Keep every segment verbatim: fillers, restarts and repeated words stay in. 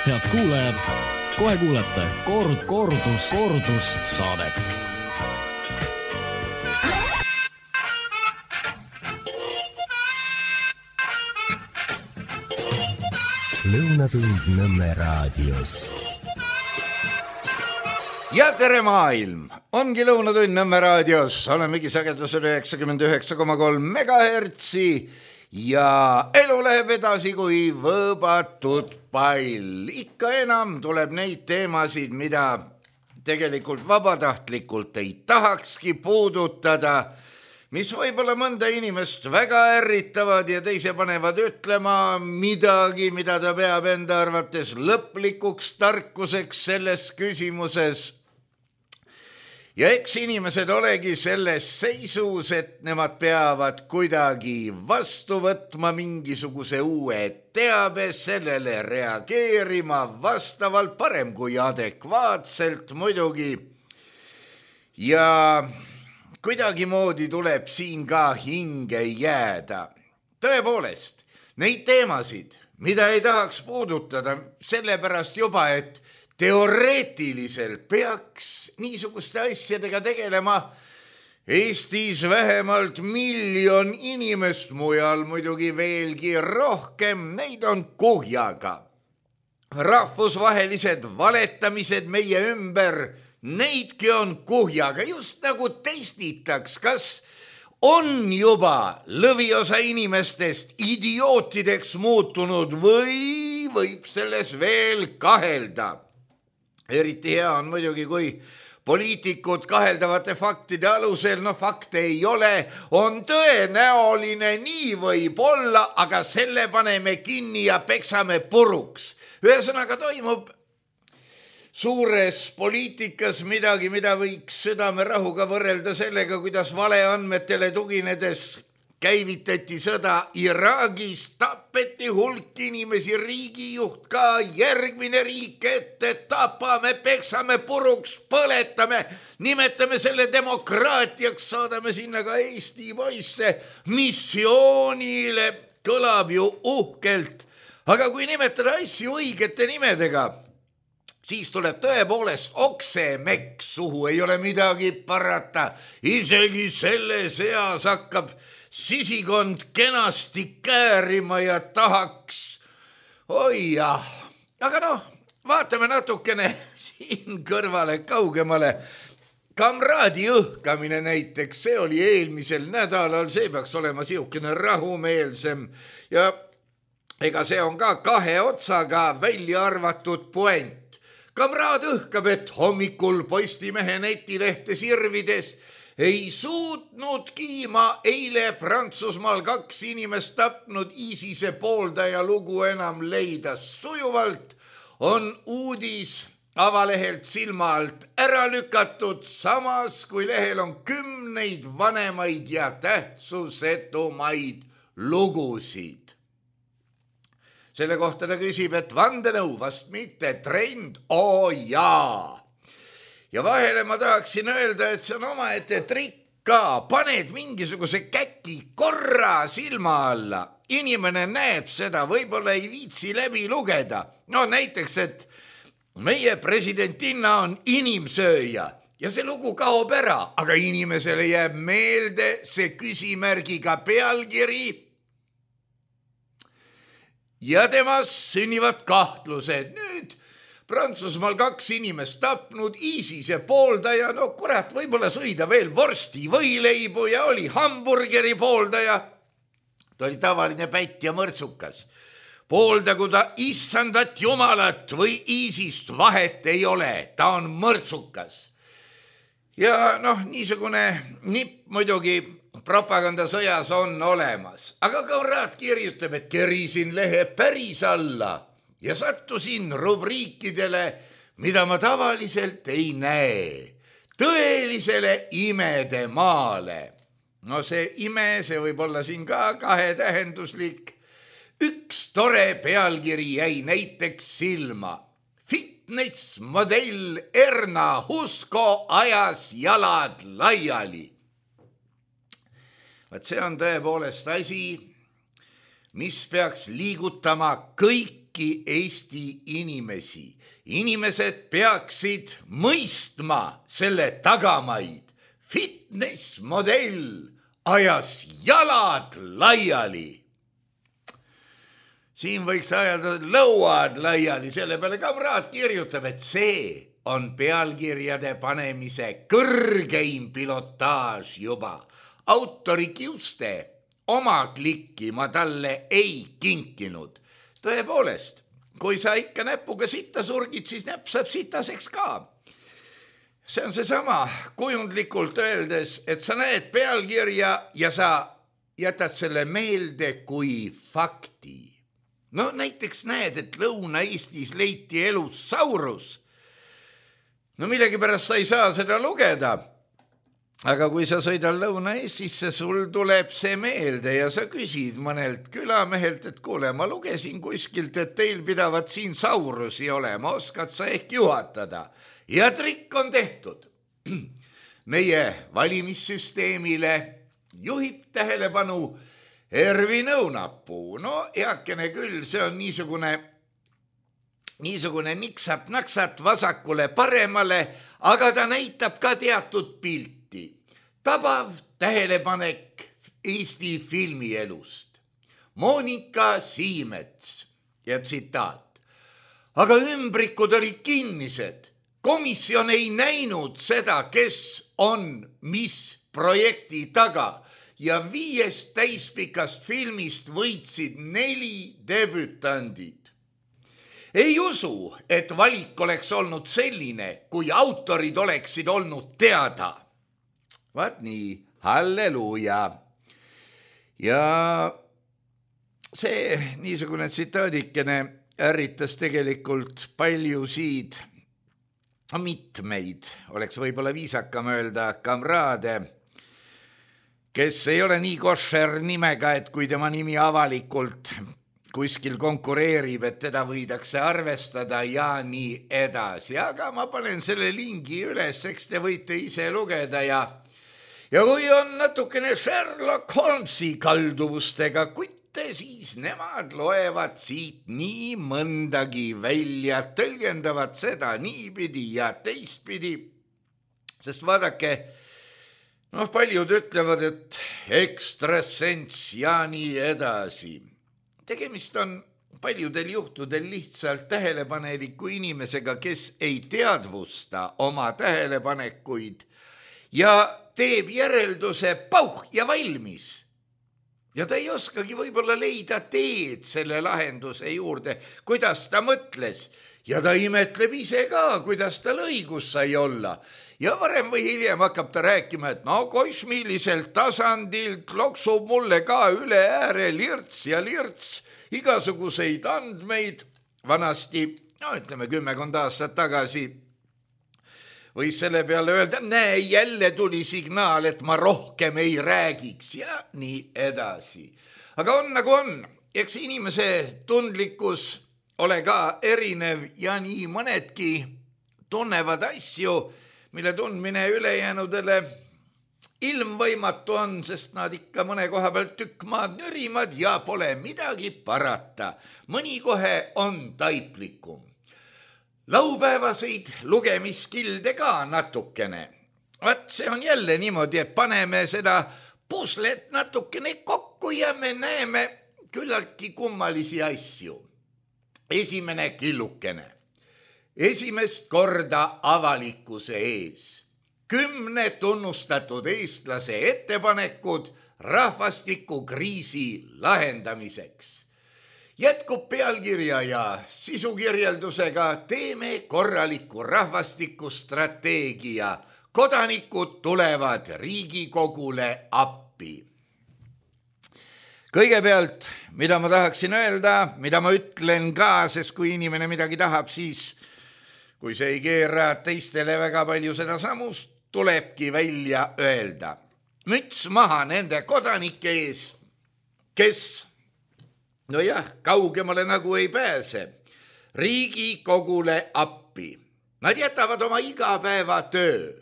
Head kuulajad, kohe kuulete kord, kordus, kordus saadet. Lõunatund Nõmme raadios. Ja tere maailm! Ongi Lõunatund Nõmme raadios. Olemegi sagedusel üheksakümmend üheksa koma kolm megahertsi ja elu läheb edasi kui võõbatud pall. Ikka enam tuleb neid teemasid, mida tegelikult vabatahtlikult ei tahakski puudutada, mis võib-olla mõnda inimest väga ärritavad ja teise panevad ütlema midagi, mida ta peab enda arvates lõplikuks tarkuseks selles küsimuses. Ja eks inimesed olegi selles seisus, et nemad peavad kuidagi vastu võtma mingisuguse uue teabe, sellele reageerima vastavalt, parem kui adekvaatselt muidugi. Ja kuidagimoodi tuleb siin ka hinge jääda. Tõepoolest, neid teemasid, mida ei tahaks puudutada, sellepärast juba, et teoreetiliselt peaks niisuguste asjadega tegelema Eestis vähemalt miljon inimest, mujal muidugi veelgi rohkem, neid on kuhjaga. Rahvusvahelised valetamised meie ümber, neidki on kuhjaga, just nagu testitaks, kas on juba lõviosa inimestest idiootideks muutunud või võib selles veel kahelda. Eriti hea on muidugi, kui poliitikud kaheldavate faktide alusel, no fakte ei ole, on tõenäoline, nii võib olla, aga selle paneme kinni ja peksame puruks. Ühesõnaga toimub suures poliitikas midagi, mida võiks südamerahuga võrrelda sellega, kuidas valeandmetele tuginedes käivitati sõda Iraagis, tapeti hulk inimesi, riigijuht ka, järgmine riik ette, tapame, peksame puruks, põletame, nimetame selle demokraatiaks, saadame sinna ka Eesti poisse missioonile, kõlab ju uhkelt, aga kui nimetada asju õigete nimedega, siis tuleb tõepoolest oksemekk suhu, ei ole midagi parata. Isegi selle seas hakkab sisikond kenasti käärima ja tahaks. Oi jah, aga noh, vaatame natukene siin kõrvale kaugemale. Kamraadi õhkamine näiteks, see oli eelmisel nädalal, see peaks olema siukene rahumeelsem ja ega see on ka kahe otsaga välja arvatud puent. Kamraad õhkab, et hommikul Postimehe netilehte sirvides ei suutnudki ma eile Prantsusmaal kaks inimest tapnud ISISe pooldaja lugu enam leida. Sujuvalt on uudis avalehelt silma alt ära lükatud, samas kui lehel on kümneid vanemaid ja tähtsusetumaid lugusid. Selle kohta ta küsib, et vandenõu vast mitte trend, oo jaa. Ja vahele ma tahaksin öelda, et see on omaette trikk ka. Paned mingisuguse käki korra silma alla. Inimene näeb seda, võib-olla ei viitsi läbi lugeda. No näiteks, et meie presidentinna on inimsööja ja see lugu kaob ära, aga inimesele jääb meelde see küsimärgiga pealkiri ja temas sünnivad kahtlused. Nüüd Prantsusmaal kaks inimest tapnud, ISISe pooldaja, no kurat, võib-olla sõida veel vorsti võileibu ja oli hamburgeri pooldaja. Ta oli tavaline pätt ja mõrtsukas. Pooldagu ta issandat jumalat või ISISt, vahet ei ole, ta on mõrtsukas. Ja noh, niisugune nipp muidugi propagandasõjas on olemas. Aga Kamraad kirjutab, et kerisin lehe päris alla ja sattusin rubriikidele, mida ma tavaliselt ei näe. Tõelisele imede maale. No see ime, see võib olla siin ka kahetähenduslik. Üks tore pealkiri jäi näiteks silma. Fitnessmodell Erna Husko ajas jalad laiali. Vaat see on tõepoolest asi, mis peaks liigutama kõik kõiki Eesti inimesi. Inimesed peaksid mõistma selle tagamaid. Fitness modell ajas jalad laiali. Siin võiks ajada lõuad laiali, selle peale kamraad kirjutab, et see on pealkirjade panemise kõrgeim pilotaaž juba. Autori kiuste oma klikki ma talle ei kinkinud. Tõepoolest, kui sa ikka näpuga sitta surgid, siis näpp saab sitaseks ka. See on see sama kujundlikult öeldes, et sa näed pealkirja ja sa jätad selle meelde kui fakti. No näiteks näed, et Lõuna-Eestis leiti elus saurus. No millegi pärast sa ei saa seda lugeda. Aga kui sa sõidad Lõuna-Eestisse, sul tuleb see meelde ja sa küsid mõnelt külamehelt, et kuule, ma lugesin kuskilt, et teil pidavat siin saurusi olema, oskad sa ehk juhatada. Ja trikk on tehtud. Meie valimissüsteemile juhib tähelepanu Ervi Nõunapuu. No eakene küll, see on niisugune, niisugune niksat-naksat vasakule paremale, aga ta näitab ka teatud pilti. Tabav tähelepanek Eesti filmielust. Monika Siimets ja tsitaat. Aga ümbrikud olid kinnised. Komisjon ei näinud seda, kes on mis projekti taga. Ja viiest täispikast filmist võitsid neli debütandid. Ei usu, et valik oleks olnud selline, kui autorid oleksid olnud teada. Vaat nii, halleluuja. Ja see niisugune tsitaadikene ärritas tegelikult paljusid, mitmeid, oleks võib-olla viisakam öelda, kamraade, kes ei ole nii košer nimega, et kui tema nimi avalikult kuskil konkureerib, et teda võidakse arvestada ja nii edasi. Aga ma panen selle lingi üles, eks te võite ise lugeda ja, ja kui on natukene Sherlock Holmesi kalduvustega kutte, siis nemad loevad siit nii mõndagi välja, tõlgendavad seda niipidi ja teistpidi, sest vaadake, noh, paljud ütlevad, et ekstrasens ja nii edasi. Tegemist on paljudel juhtudel lihtsalt tähelepaneliku inimesega, kes ei teadvusta oma tähelepanekuid ja teeb järelduse pauh ja valmis. Ja ta ei oskagi võib-olla leida teed selle lahenduse juurde, kuidas ta mõtles. Ja ta imetleb ise ka, kuidas tal õigus sai olla. Ja varem või hiljem hakkab ta rääkima, et no kosmiliselt tasandilt loksub mulle ka üle ääre lirts ja lirts igasuguseid andmeid. Vanasti, no ütleme kümmekond aastat tagasi, võis selle peale öelda, näe, jälle tuli signaal, et ma rohkem ei räägiks ja nii edasi. Aga on nagu on, eks inimese tundlikkus ole ka erinev ja nii mõnedki tunnevad asju, mille tundmine ülejäänudele ilmvõimatu on, sest nad ikka mõne koha pealt tükk maad nürimad ja pole midagi parata. Mõni kohe on taiplikum. Laupäevaseid lugemiskilde ka natukene. Vaat see on jälle niimoodi, et paneme seda puslet natukene kokku ja me näeme küllaltki kummalisi asju. Esimene killukene. Esimest korda avalikkuse ees. Kümne tunnustatud eestlase ettepanekud rahvastikukriisi lahendamiseks. Jätkub pealkirja ja sisukirjeldusega teeme korraliku rahvastikustrateegia. Kodanikud tulevad Riigikogule appi. Kõigepealt, mida ma tahaksin öelda, mida ma ütlen ka, sest kui inimene midagi tahab, siis kui see ei keera teistele väga palju seda samust, tulebki välja öelda. Müts maha nende kodanike ees, kes, no jah, kaugemale nagu ei pääse, Riigikogule appi. Nad jätavad oma igapäeva töö.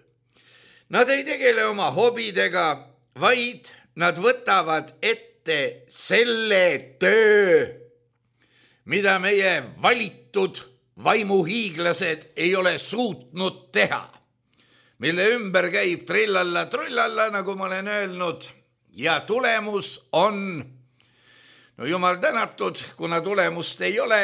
Nad ei tegele oma hobidega, vaid nad võtavad ette selle töö, mida meie valitud vaimuhiiglased ei ole suutnud teha, mille ümber käib trillalla trullalla, nagu ma olen öelnud, ja tulemus on, no jumal tänatud, kuna tulemust ei ole,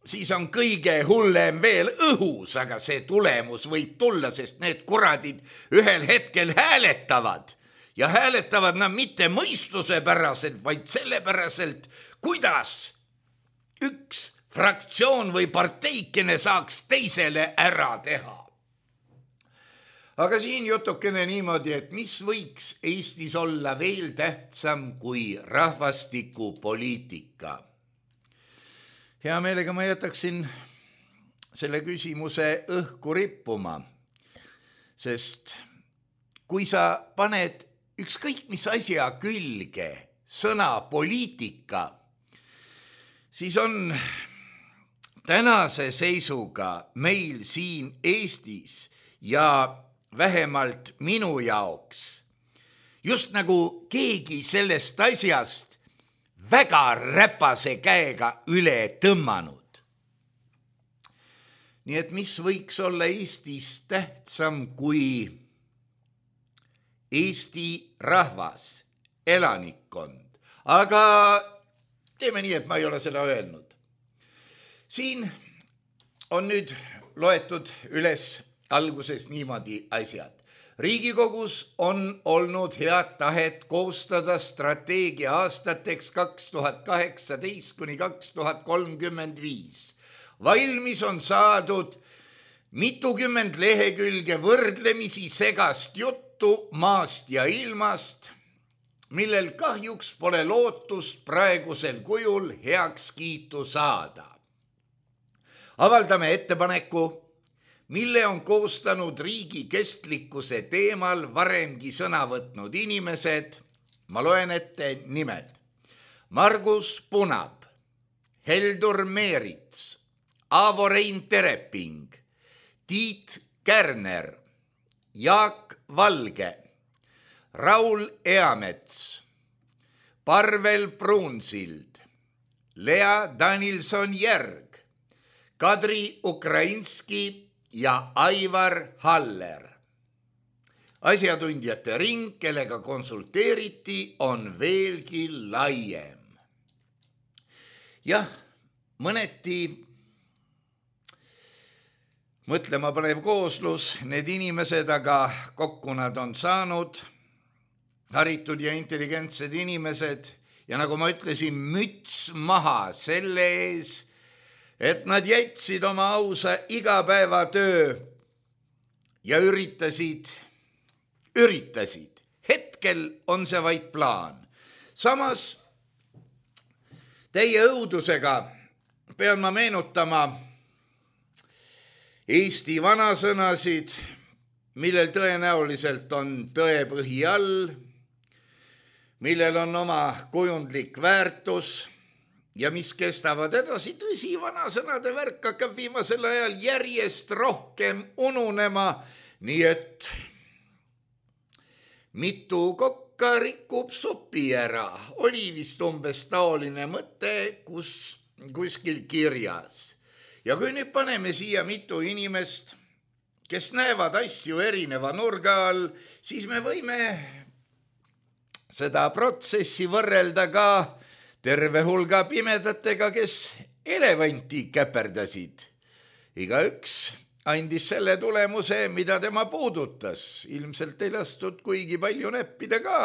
siis on kõige hullem veel õhus, aga see tulemus võib tulla, sest need kuradid ühel hetkel hääletavad ja hääletavad nad mitte mõistuse päraselt, vaid sellepäraselt, kuidas üks fraktsioon või parteikene saaks teisele ära teha. Aga siin jutukene niimoodi, et mis võiks Eestis olla veel tähtsam kui rahvastikupoliitika. Hea meelega ma jätaksin selle küsimuse õhku rippuma, sest kui sa paned ükskõik mis asja külge sõna poliitika, siis on tänase seisuga meil siin Eestis ja vähemalt minu jaoks just nagu keegi sellest asjast väga räpase käega üle tõmmanud. Nii et mis võiks olla Eestis tähtsam kui Eesti rahvas, elanikkond, aga teeme nii, et ma ei ole seda öelnud. Siin on nüüd loetud üles alguses niimoodi asjad. Riigikogus on olnud head tahet koostada strateegia aastateks kaks tuhat kaheksateist kuni kaks tuhat kolmkümmend viis. Valmis on saadud mitukümmend lehekülge võrdlemisi segast juttu maast ja ilmast, millel kahjuks pole lootust praegusel kujul heakskiitu saada. Avaldame ettepaneku, mille on koostanud riigi kestlikkuse teemal varemgi sõna võtnud inimesed. Ma loen ette nimed. Margus Punab, Heldur Meerits, Aavo-Rein Tereping, Tiit Kärner, Jaak Valge, Raul Eamets, Parvel Pruunsild, Lea Danilson-Järg, Kadri Ukrainski ja Aivar Haller. Asjatundjate ring, kellega konsulteeriti, on veelgi laiem. Jah, mõneti mõtlema panev kooslus, need inimesed, aga kokku nad on saanud, haritud ja intelligentsed inimesed, ja nagu ma ütlesin, müts maha selle ees, et nad jätsid oma ausa igapäevatöö ja üritasid, üritasid. Hetkel on see vaid plaan. Samas teie õudusega pean ma meenutama Eesti vanasõnasid, millel tõenäoliselt on tõepõhi all, millel on oma kujundlik väärtus ja mis kestavad edasi. Tõsi, vanasõnade värk hakkab viimasel ajal järjest rohkem ununema, nii et mitu kokka rikub sopi ära. Oli vist umbes taoline mõte kus, kuskil kirjas. Ja kui nüüd paneme siia mitu inimest, kes näevad asju erineva nurga all, siis me võime seda protsessi võrrelda ka terve hulga pimedatega, kes elevanti käperdasid. Igaüks andis selle tulemuse, mida tema puudutas. Ilmselt ei lastud kuigi palju näppida ka.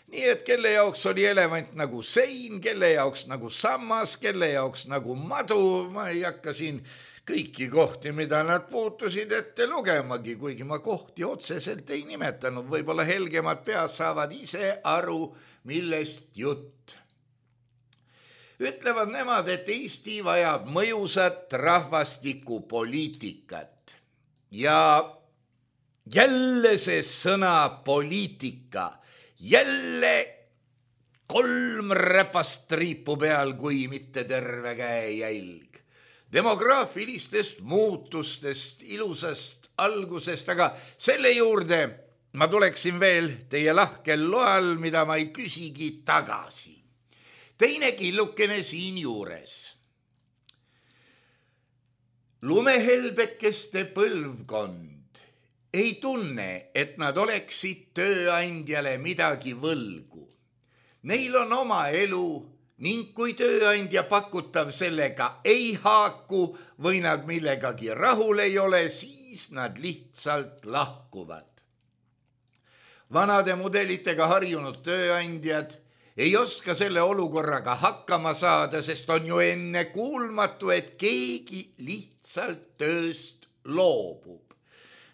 Nii et kelle jaoks oli elevant nagu sein, kelle jaoks nagu sammas, kelle jaoks nagu madu. Ma ei hakka siin kõiki kohti, mida nad puutusid, ette lugemagi, kuigi ma kohti otseselt ei nimetanud. Võib-olla helgemad pead saavad ise aru, millest jutt. Ütlevad nemad, et Eesti vajab mõjusat rahvastikupoliitikat. Ja jälle see sõna poliitika, jälle kolm räpast triipu peal, kui mitte terve käejälg. Demograafilistest muutustest, ilusast algusest, aga selle juurde ma tuleksin veel teie lahkel loal, mida ma ei küsigi tagasi. Teine killukene siin juures. lumehelbekeste põlvkond ei tunne, et nad oleksid tööandjale midagi võlgu. Neil on oma elu ning kui tööandja pakutav sellega ei haaku või nad millegagi rahul ei ole, siis nad lihtsalt lahkuvad. Vanade mudelitega harjunud tööandjad ei oska selle olukorraga hakkama saada, sest on ju enne kuulmatu, et keegi lihtsalt tööst loobub.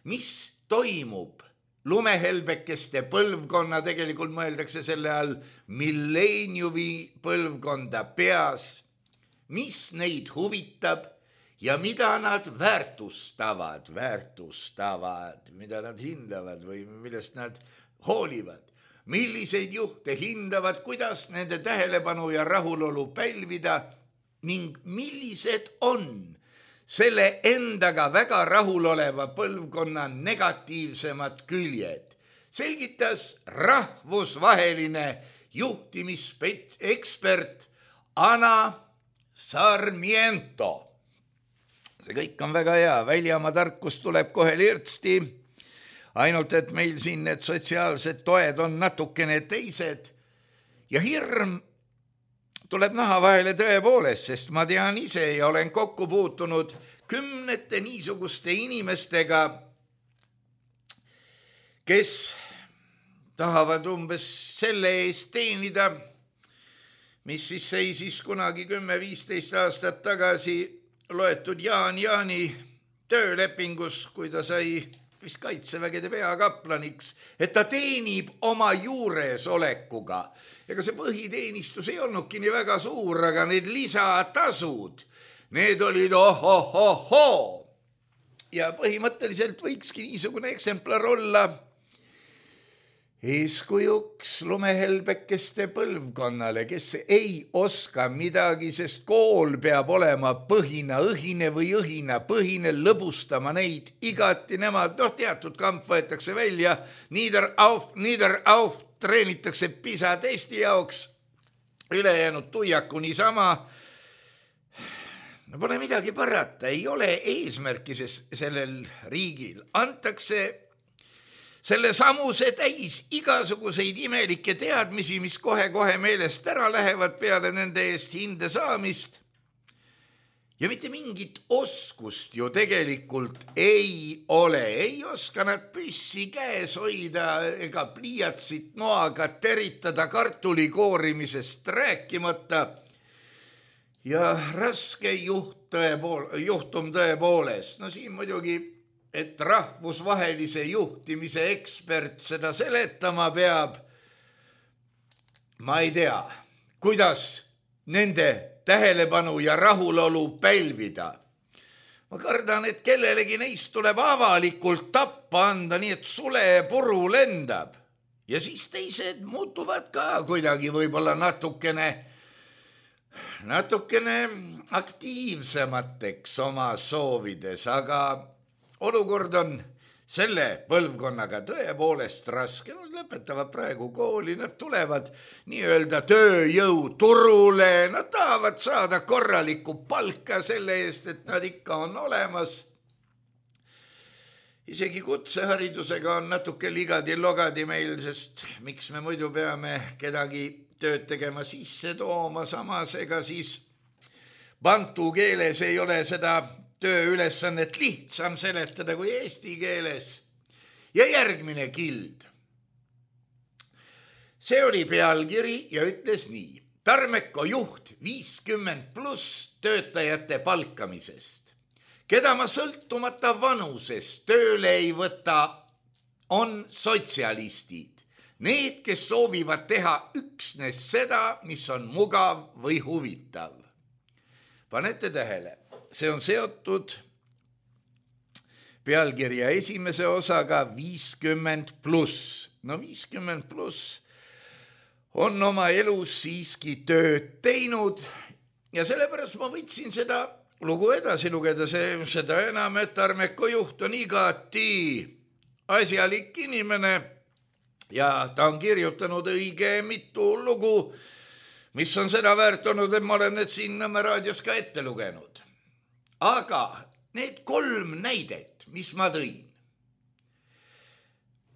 Mis toimub? Lumehelbekeste põlvkonna, tegelikult mõeldakse selle all milleeniumi põlvkonda peas, mis neid huvitab ja mida nad väärtustavad, väärtustavad, mida nad hindavad või millest nad hoolivad, milliseid juhte hindavad, kuidas nende tähelepanu ja rahulolu pälvida ning millised on selle endaga väga rahuloleva põlvkonna negatiivsemad küljed, selgitas rahvusvaheline juhtimisekspert Ana Sarmiento. See kõik on väga hea, väljamaa tarkus tuleb kohe lirtsti, ainult et meil siin need sotsiaalsed toed on natukene teised ja hirm tuleb naha vahele tõepoolest, sest ma tean ise ja olen kokku puutunud kümnete niisuguste inimestega, kes tahavad umbes selle eest teenida, mis siis seisis kunagi kümme viisteist aastat tagasi loetud Jaan Jaani töölepingus, kui ta sai vist kaitsevägede peakaplaniks, et ta teenib oma juuresolekuga. Ega see põhiteenistus ei olnudki nii väga suur, aga need lisatasud, need olid ohohoho. Ja põhimõtteliselt võikski niisugune eksemplar olla eeskujuks lumehelbekeste põlvkonnale, kes ei oska midagi, sest kool peab olema põhina õhine või õhina põhine, lõbustama neid igati nemad, noh teatud kamp võetakse välja, nieder auf, nieder auf, treenitakse PISA testi jaoks, ülejäänud tuiaku niisama. No pole midagi parata, ei ole eesmärki sellel riigil, antakse selle samuse täis igasuguseid imelikke teadmisi, mis kohe-kohe meelest ära lähevad peale nende eest hinde saamist. Ja mitte mingit oskust ju tegelikult ei ole. Ei oska nad püssi käes hoida ega pliiatsit noaga teritada kartuli koorimisest rääkimata. Ja raske juht tõepool, juhtum tõepoolest. No siin muidugi et rahvusvahelise juhtimise ekspert seda seletama peab. Ma ei tea, kuidas nende tähelepanu ja rahulolu pälvida. Ma kardan, et kellelegi neist tuleb avalikult tappa anda, nii et sule puru lendab. Ja siis teised muutuvad ka kuidagi võib-olla natukene, natukene aktiivsemateks oma soovides, aga olukord on selle põlvkonnaga tõepoolest raske. Nad lõpetavad praegu kooli, nad tulevad nii-öelda tööjõu turule, nad tahavad saada korralikku palka selle eest, et nad ikka on olemas. Isegi kutseharidusega on natuke ligadi-logadi meil, sest miks me muidu peame kedagi tööd tegema sisse tooma, samas ega siis bantu keeles ei ole seda tööülesannet lihtsam seletada kui eesti keeles. Ja järgmine kild. See oli pealkiri ja ütles nii. Tarmeko juht viiskümmend pluss töötajate palkamisest. Keda ma sõltumata vanusest tööle ei võta, on sotsialistid. Need, kes soovivad teha üksnes seda, mis on mugav või huvitav. Panete tähele. See on seotud pealkirja esimese osaga viiskümmend pluss. No viiskümmend pluss on oma elus siiski tööd teinud ja sellepärast ma võtsin seda lugu edasi lugeda, see, seda enam, et Tarmeko juht on igati asjalik inimene ja ta on kirjutanud õige mitu lugu, mis on seda väärt olnud, et ma olen need siin Nõmme raadios ka ette lugenud. Aga need kolm näidet, mis ma tõin,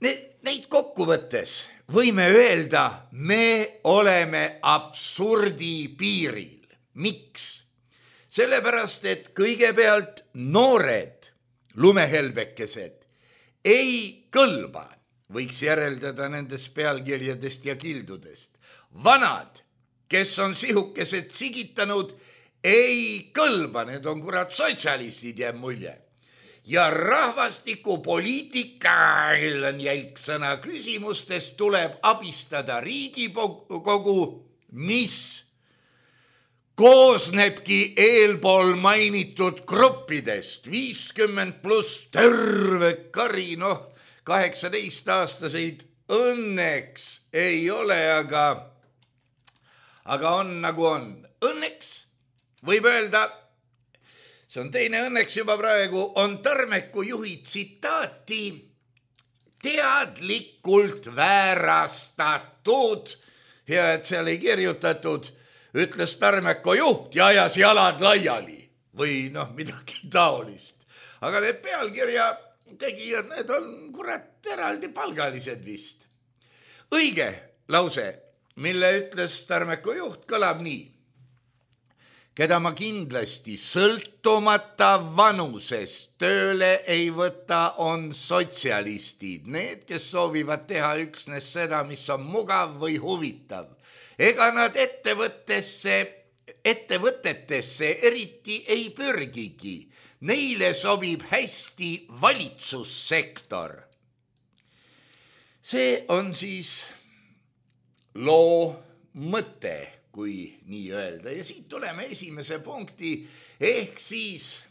need, neid kokkuvõttes võime öelda, me oleme absurdi piiril. Miks? Sellepärast, et kõigepealt noored lumehelbekesed ei kõlba, võiks järeldada nendest pealkirjadest ja kildudest. Vanad, kes on sihukesed sigitanud, ei kõlba, need on kurat sotsialistid, jääb mulje. Ja rahvastikupoliitika, on jälgsõna küsimustest, tuleb abistada Riigikogu, mis koosnebki eelpool mainitud gruppidest, viiskümmend pluss terve kari, noh, kaheksateist-aastaseid õnneks ei ole, aga, aga on nagu on. Õnneks võib öelda, see on teine õnneks juba praegu, on Tarmeku juhi tsitaati teadlikult väärastatud, ja et seal ei kirjutatud, ütles Tarmeku juht ja ajas jalad laiali või noh, midagi taolist. Aga need pealkirja tegijad, need on kurat eraldi palgalised vist. Õige lause, mille ütles Tarmeku juht, kõlab nii. Keda ma kindlasti sõltumata vanusest tööle ei võta, on sotsialistid. Need, kes soovivad teha üksnes seda, mis on mugav või huvitav. Ega nad ettevõttesse, ettevõtetesse eriti ei pürgigi. Neile sobib hästi valitsussektor. See on siis loo mõte, kui nii öelda. Ja siit tuleme esimese punkti, ehk siis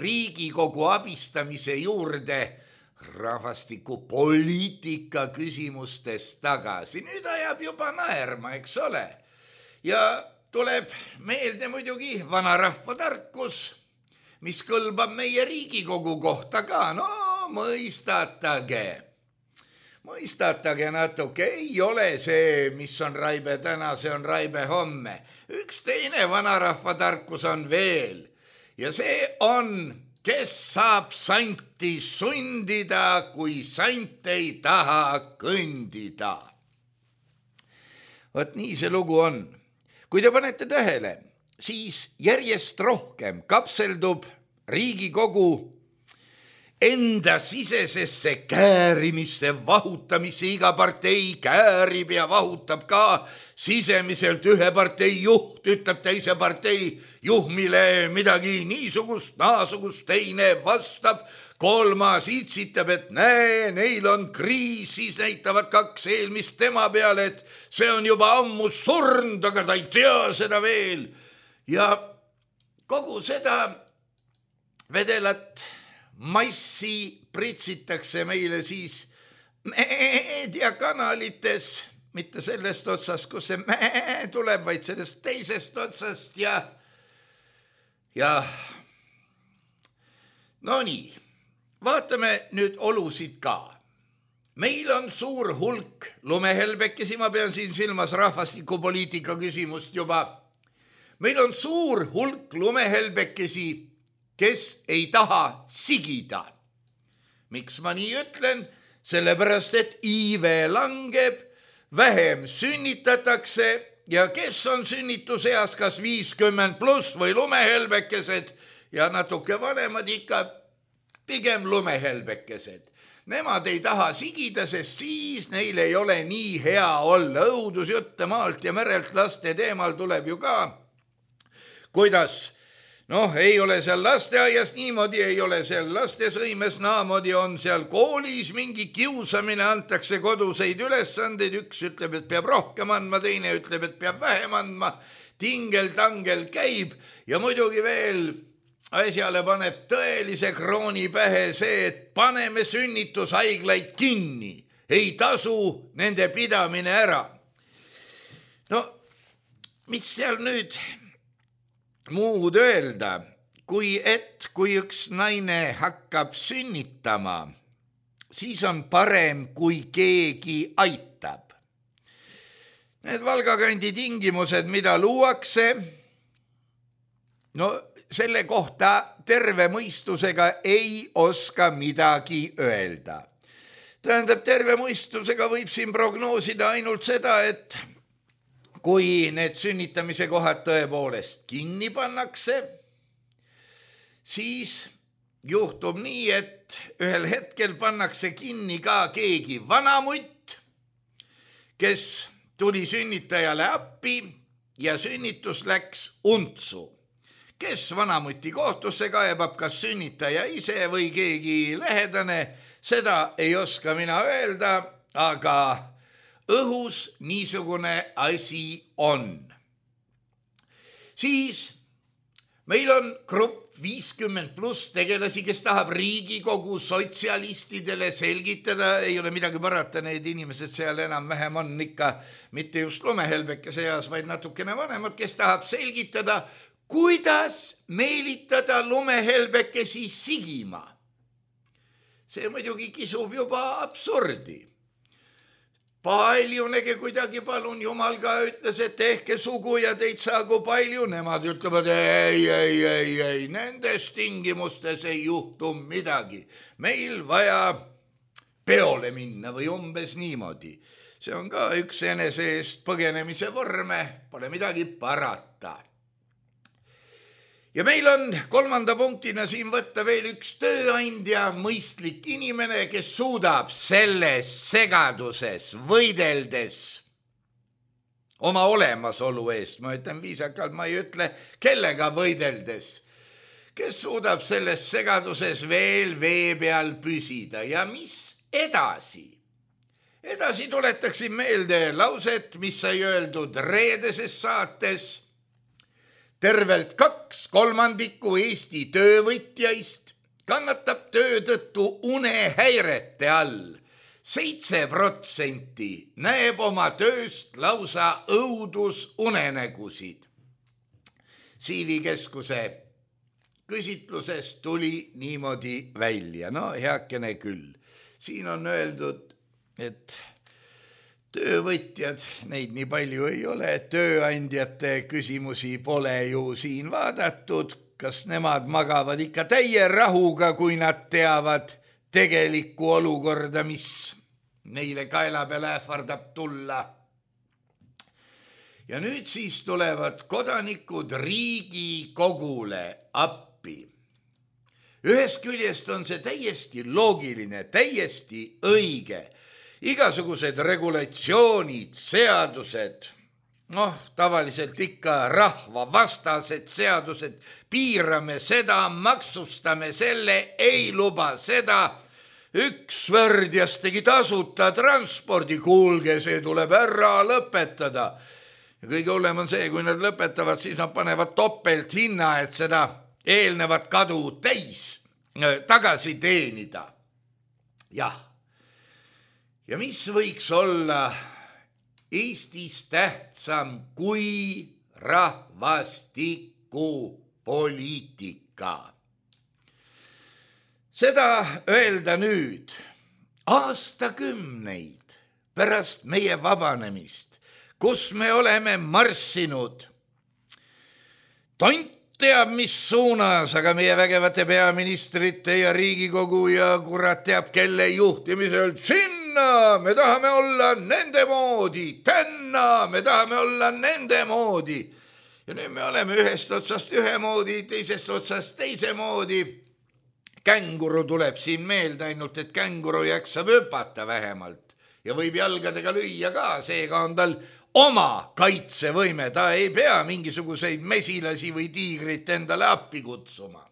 Riigikogu abistamise juurde rahvastikupoliitika küsimustes tagasi. Nüüd ajab juba naerma, eks ole. Ja tuleb meelde muidugi vanarahva tarkus, mis kõlbab meie Riigikogu kohta ka. No mõistatage, mõistatage natuke, ei ole see, mis on raibe täna, see on raibe homme. Üks teine vanarahva tarkus on veel ja see on, kes saab santi sundida, kui sant ei taha kõndida. Vot nii see lugu on. Kui te panete tähele, siis järjest rohkem kapseldub Riigikogu enda sisesesse käärimisse, vahutamisse, iga partei käärib ja vahutab ka sisemiselt. Ühe partei juht ütleb teise partei juhmile midagi niisugust, naasugust, teine vastab, kolmas itsitab, et näe, neil on kriis, siis näitavad kaks eelmist tema peale, et see on juba ammu surnud, aga ta ei tea seda veel. Ja kogu seda vedelat massi pritsitakse meile siis meediakanalites, mitte sellest otsast, kus see mäe tuleb, vaid sellest teisest otsast ja ja no nii, vaatame nüüd olusid ka. Meil on suur hulk lumehelbekesi, ma pean siin silmas rahvastikupoliitika küsimust juba. Meil on suur hulk lumehelbekesi, kes ei taha sigida. Miks ma nii ütlen? Sellepärast, et iive langeb, vähem sünnitatakse ja kes on sünnituseas, kas viiskümmend pluss või lumehelbekesed ja natuke vanemad ikka pigem lumehelbekesed. Nemad ei taha sigida, sest siis neil ei ole nii hea olla. Õudusjutte maalt ja merelt laste teemal tuleb ju ka, kuidas noh, ei ole seal lasteaias niimoodi, ei ole seal lastesõimes naamoodi, on seal koolis mingi kiusamine, antakse koduseid ülesandeid, üks ütleb, et peab rohkem andma, teine ütleb, et peab vähem andma, tingel-tangel käib ja muidugi veel asjale paneb tõelise krooni pähe see, et paneme sünnitushaiglaid kinni, ei tasu nende pidamine ära. No, mis seal nüüd muud öelda, kui et kui üks naine hakkab sünnitama, siis on parem, kui keegi aitab. Need Valgakandi tingimused, mida luuakse, no selle kohta terve mõistusega ei oska midagi öelda. Tähendab, terve mõistusega võib siin prognoosida ainult seda, et kui need sünnitamise kohad tõepoolest kinni pannakse, siis juhtub nii, et ühel hetkel pannakse kinni ka keegi vanamutt, kes tuli sünnitajale appi ja sünnitus läks untsu. Kes vanamuti kohtusse kaebab, kas sünnitaja ise või keegi lähedane, seda ei oska mina öelda, aga õhus niisugune asi on. Siis meil on grupp viiskümmend pluss tegelasi, kes tahab Riigikogu sotsialistidele selgitada, ei ole midagi parata, need inimesed seal enam vähem on ikka mitte just lumehelbeke seas, vaid natukene vanemad, kes tahab selgitada, kuidas meelitada lumehelbekesi sigima. See muidugi kisub juba absurdi. Paljunegi kuidagi palun, Jumal ka ütles, et tehke sugu ja teid saagu palju. Nemad ütlevad, ei, ei, ei, ei, nendes tingimustes ei juhtu midagi. Meil vaja peole minna või umbes niimoodi. See on ka üks enese eest põgenemise vorme, pole midagi parata. Ja meil on kolmanda punktina siin võtta veel üks tööandja, mõistlik inimene, kes suudab selles segaduses võideldes oma olemasolu eest, ma ütlen viisakalt, ma ei ütle kellega võideldes, kes suudab selles segaduses veel vee peal püsida. Ja mis edasi? Edasi tuletaksin meelde lauset, mis sai öeldud reedeses saates. Tervelt kaks kolmandikku Eesti töövõtjaist kannatab töö tõttu unehäirete all. Seitse protsenti näeb oma tööst lausa õudusunenägusid. Siivi keskuse küsitlusest tuli niimoodi välja. No heakene küll. Siin on öeldud, et töövõtjad, neid nii palju ei ole, tööandjate küsimusi pole ju siin vaadatud, kas nemad magavad ikka täie rahuga, kui nad teavad tegelikku olukorda, mis neile kaela peale ähvardab tulla. Ja nüüd siis tulevad kodanikud Riigikogule appi. Ühest küljest on see täiesti loogiline, täiesti õige. Igasugused regulatsioonid, seadused, noh, tavaliselt ikka rahvavastased seadused, piirame seda, maksustame selle, ei luba seda, üks värdjas tegi tasuta transpordi, kuulge, see tuleb ära lõpetada. Ja kõige hullem on see, kui nad lõpetavad, siis nad panevad topelt hinna, et seda eelnevat kadu täis tagasi teenida. Jah. Ja mis võiks olla Eestis tähtsam kui rahvastikupoliitika? Seda öelda nüüd aastakümneid pärast meie vabanemist, kus me oleme marssinud. Tont teab, mis suunas, aga meie vägevate peaministrite ja Riigikogu ja kurat teab, kelle juhtimisel sinna me tahame olla nende moodi, tänna me tahame olla nende moodi. Ja nüüd me oleme ühest otsast ühe moodi, teisest otsast teise moodi. Känguru tuleb siin meelde, ainult et känguru jaksab hüpata vähemalt ja võib jalgadega lüüa ka, seega on tal oma kaitsevõime, ta ei pea mingisuguseid mesilasi või tiigrit endale appi kutsuma.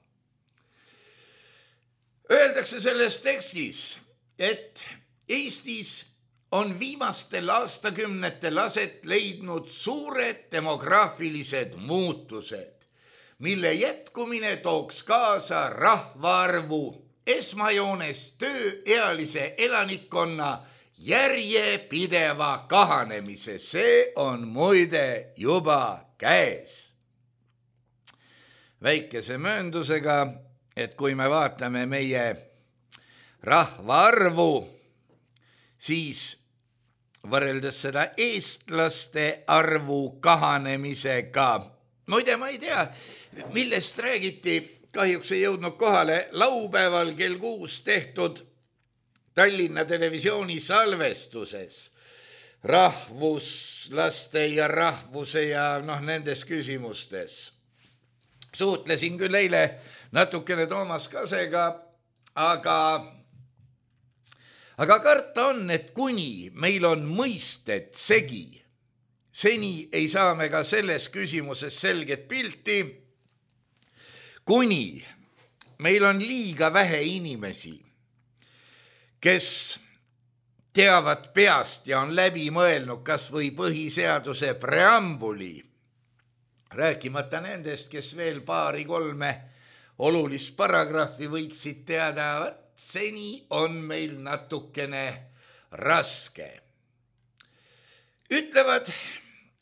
Öeldakse selles tekstis, et Eestis on viimastel aastakümnetel aset leidnud suured demograafilised muutused, mille jätkumine tooks kaasa rahvaarvu esmajoones tööealise elanikkonna järjepideva kahanemise. See on muide juba käes. Väikese mööndusega, et kui me vaatame meie rahvaarvu, siis võrreldes seda eestlaste arvu kahanemisega, muide, ma ei tea, millest räägiti, kahjuks ei jõudnud kohale laupäeval kell kuus tehtud Tallinna Televisiooni salvestuses rahvuslaste ja rahvuse ja noh, nendes küsimustes. Suhtlesin küll eile natukene Toomas Kasega, aga, aga karta on, et kuni meil on mõisted segi, seni ei saa me ka selles küsimuses selget pilti, kuni meil on liiga vähe inimesi, kes teavad peast ja on läbi mõelnud kas või põhiseaduse preambuli, rääkimata nendest, kes veel paari-kolme olulist paragrahvi võiksid teada, seni on meil natukene raske. Ütlevad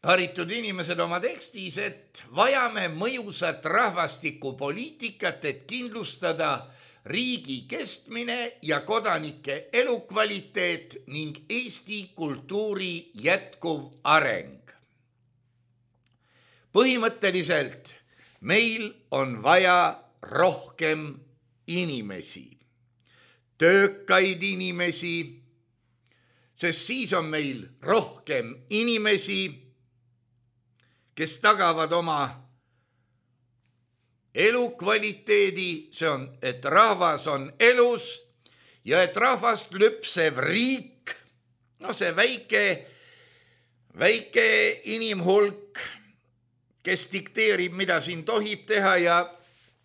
haritud inimesed oma tekstis, et vajame mõjusat rahvastikupoliitikat, et kindlustada riigi kestmine ja kodanike elukvaliteet ning Eesti kultuuri jätkuv areng. Põhimõtteliselt meil on vaja rohkem inimesi, töökaid inimesi, sest siis on meil rohkem inimesi, kes tagavad oma elukvaliteedi, see on, et rahvas on elus ja et rahvast lüpsev riik, no see väike, väike inimhulk, kes dikteerib, mida siin tohib teha ja,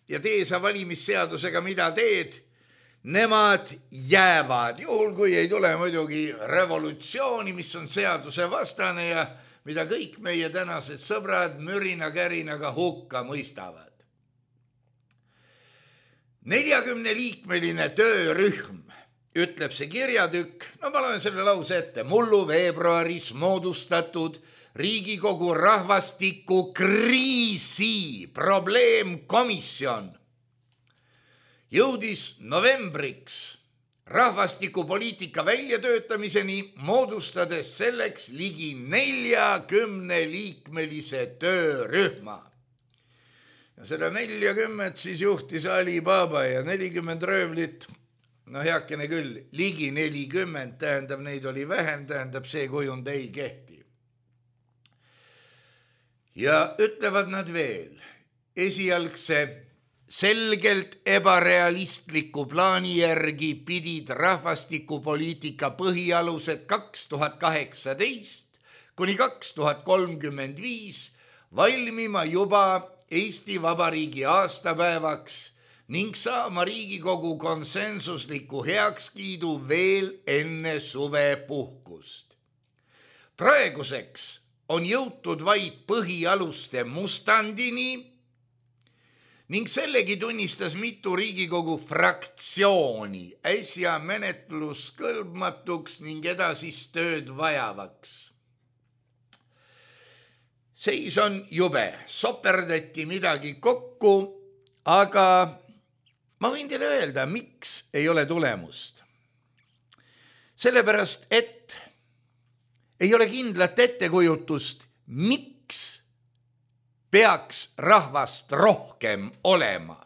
ja tee sa valimisseadusega, mida teed, nemad jäävad, juhul kui ei tule muidugi revolutsiooni, mis on seaduse vastane ja mida kõik meie tänased sõbrad mürina-kärinaga hukka mõistavad. neljakümne liikmeline töörühm, ütleb see kirjatükk, no ma loen selle lause ette, mullu veebruaris moodustatud Riigikogu rahvastiku kriisi probleemkomisjon jõudis novembriks rahvastikupoliitika väljatöötamiseni, moodustades selleks ligi neljakümne liikmelise töörühma. Ja seda neljakümmet siis juhtis Ali Baba ja nelikümmend röövlit, no heakene küll, ligi nelikümmend, tähendab, neid oli vähem, tähendab, see kujund ei kehti. Ja ütlevad nad veel, esialgse selgelt ebarealistliku plaani järgi pidid rahvastikupoliitika põhialused kaks tuhat kaheksateist kuni kaks tuhat kolmkümmend viis valmima juba Eesti Vabariigi aastapäevaks ning saama Riigikogu konsensusliku heakskiidu veel enne suvepuhkust. Praeguseks on jõutud vaid põhialuste mustandini ning sellegi tunnistas mitu Riigikogu fraktsiooni äsja menetluskõlbmatuks ning edasist tööd vajavaks. Seis on jube, soperdati midagi kokku, aga ma võin teile öelda, miks ei ole tulemust. Sellepärast, et ei ole kindlat ettekujutust, miks peaks rahvast rohkem olema.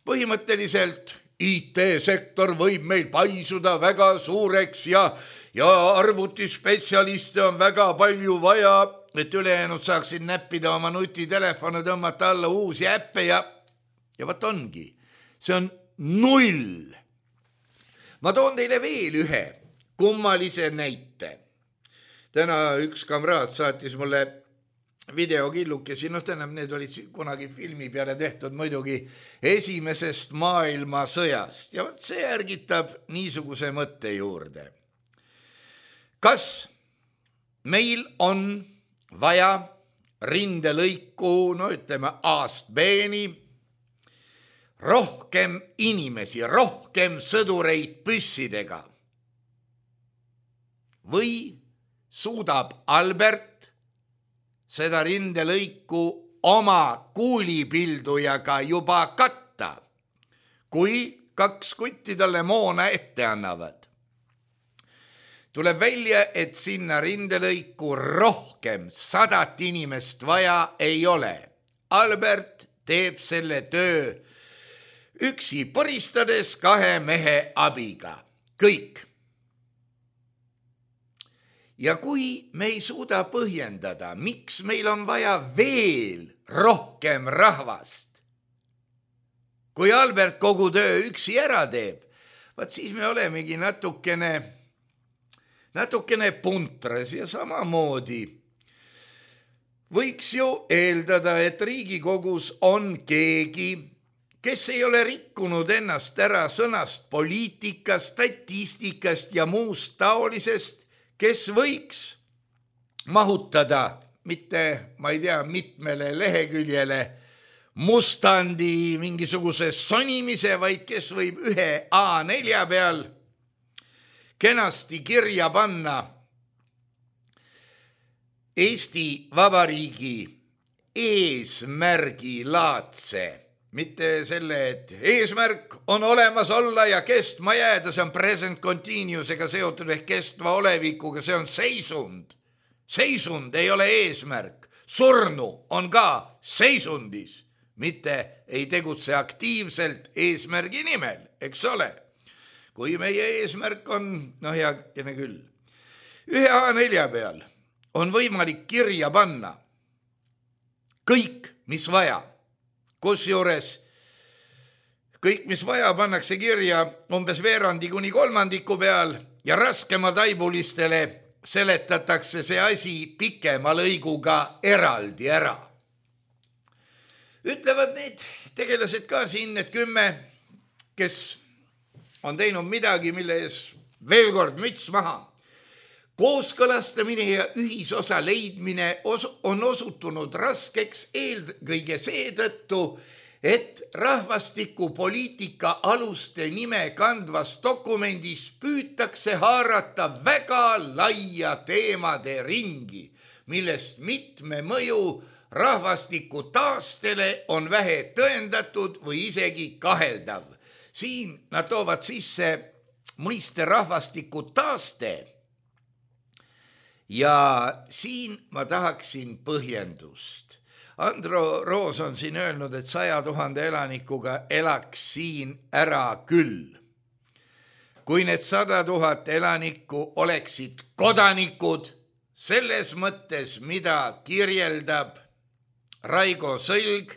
Põhimõtteliselt I T-sektor võib meil paisuda väga suureks ja, ja arvutispetsialiste on väga palju vaja, et ülejäänud saaksid näppida oma nutitelefone, tõmmata alla uusi äppe ja, ja võt ongi. See on null. Ma toon teile veel ühe kummalise näite. Täna üks kamraad saatis mulle videokillukesi, noh tähendab, need olid kunagi filmi peale tehtud muidugi esimesest maailmasõjast ja see ärgitab niisuguse mõtte juurde. Kas meil on vaja rindelõiku, no ütleme A-st B-ni, rohkem inimesi, rohkem sõdureid püssidega või suudab Albert seda rindelõiku oma kuulipildujaga juba katta, kui kaks kutti talle moona ette annavad. tuleb välja, et sinna rindelõiku rohkem sadat inimest vaja ei ole. Albert teeb selle töö üksi poristades kahe mehe abiga. Kõik. Ja kui me ei suuda põhjendada, miks meil on vaja veel rohkem rahvast, kui Albert kogu töö üksi ära teeb, vaat siis me olemegi natukene, natukene puntras ja samamoodi võiks ju eeldada, et Riigikogus on keegi, kes ei ole rikkunud ennast ära sõnast poliitikast, statistikast ja muust taolisest, kes võiks mahutada mitte, ma ei tea, mitmele leheküljele mustandi mingisuguse sonimise, vaid kes võib ühe A nelja peal kenasti kirja panna Eesti Vabariigi eesmärgi laadse. Mitte selle, et eesmärk on olemas olla ja kestma jääda, see on present continuous ega seotud ehk kestva olevikuga, see on seisund. Seisund ei ole eesmärk. Surnu on ka seisundis, mitte ei tegutse aktiivselt eesmärgi nimel, eks ole. Kui meie eesmärk on, noh heakene küll, ühe A nelja peal on võimalik kirja panna kõik, mis vaja. Kusjuures kõik, mis vaja, pannakse kirja umbes veerandi kuni kolmandiku peal ja raskema taibulistele seletatakse see asi pikema lõiguga eraldi ära. Ütlevad need tegelased ka siin, et kümme, kes on teinud midagi, mille ees veel kord müts maha. Kooskõlastamine ja ühisosa leidmine on osutunud raskeks eelkõige seetõttu, et rahvastikupoliitika aluste nime kandvas dokumendis püütakse haarata väga laia teemade ringi, millest mitme mõju rahvastiku taastele on vähe tõendatud või isegi kaheldav. Siin nad toovad sisse mõiste rahvastiku taaste. Ja siin ma tahaksin põhjendust. Andro Roos on siin öelnud, et saja tuhande elanikuga elaks siin ära küll. Kui need sada tuhat elanikku oleksid kodanikud, selles mõttes, mida kirjeldab Raigo Sõlg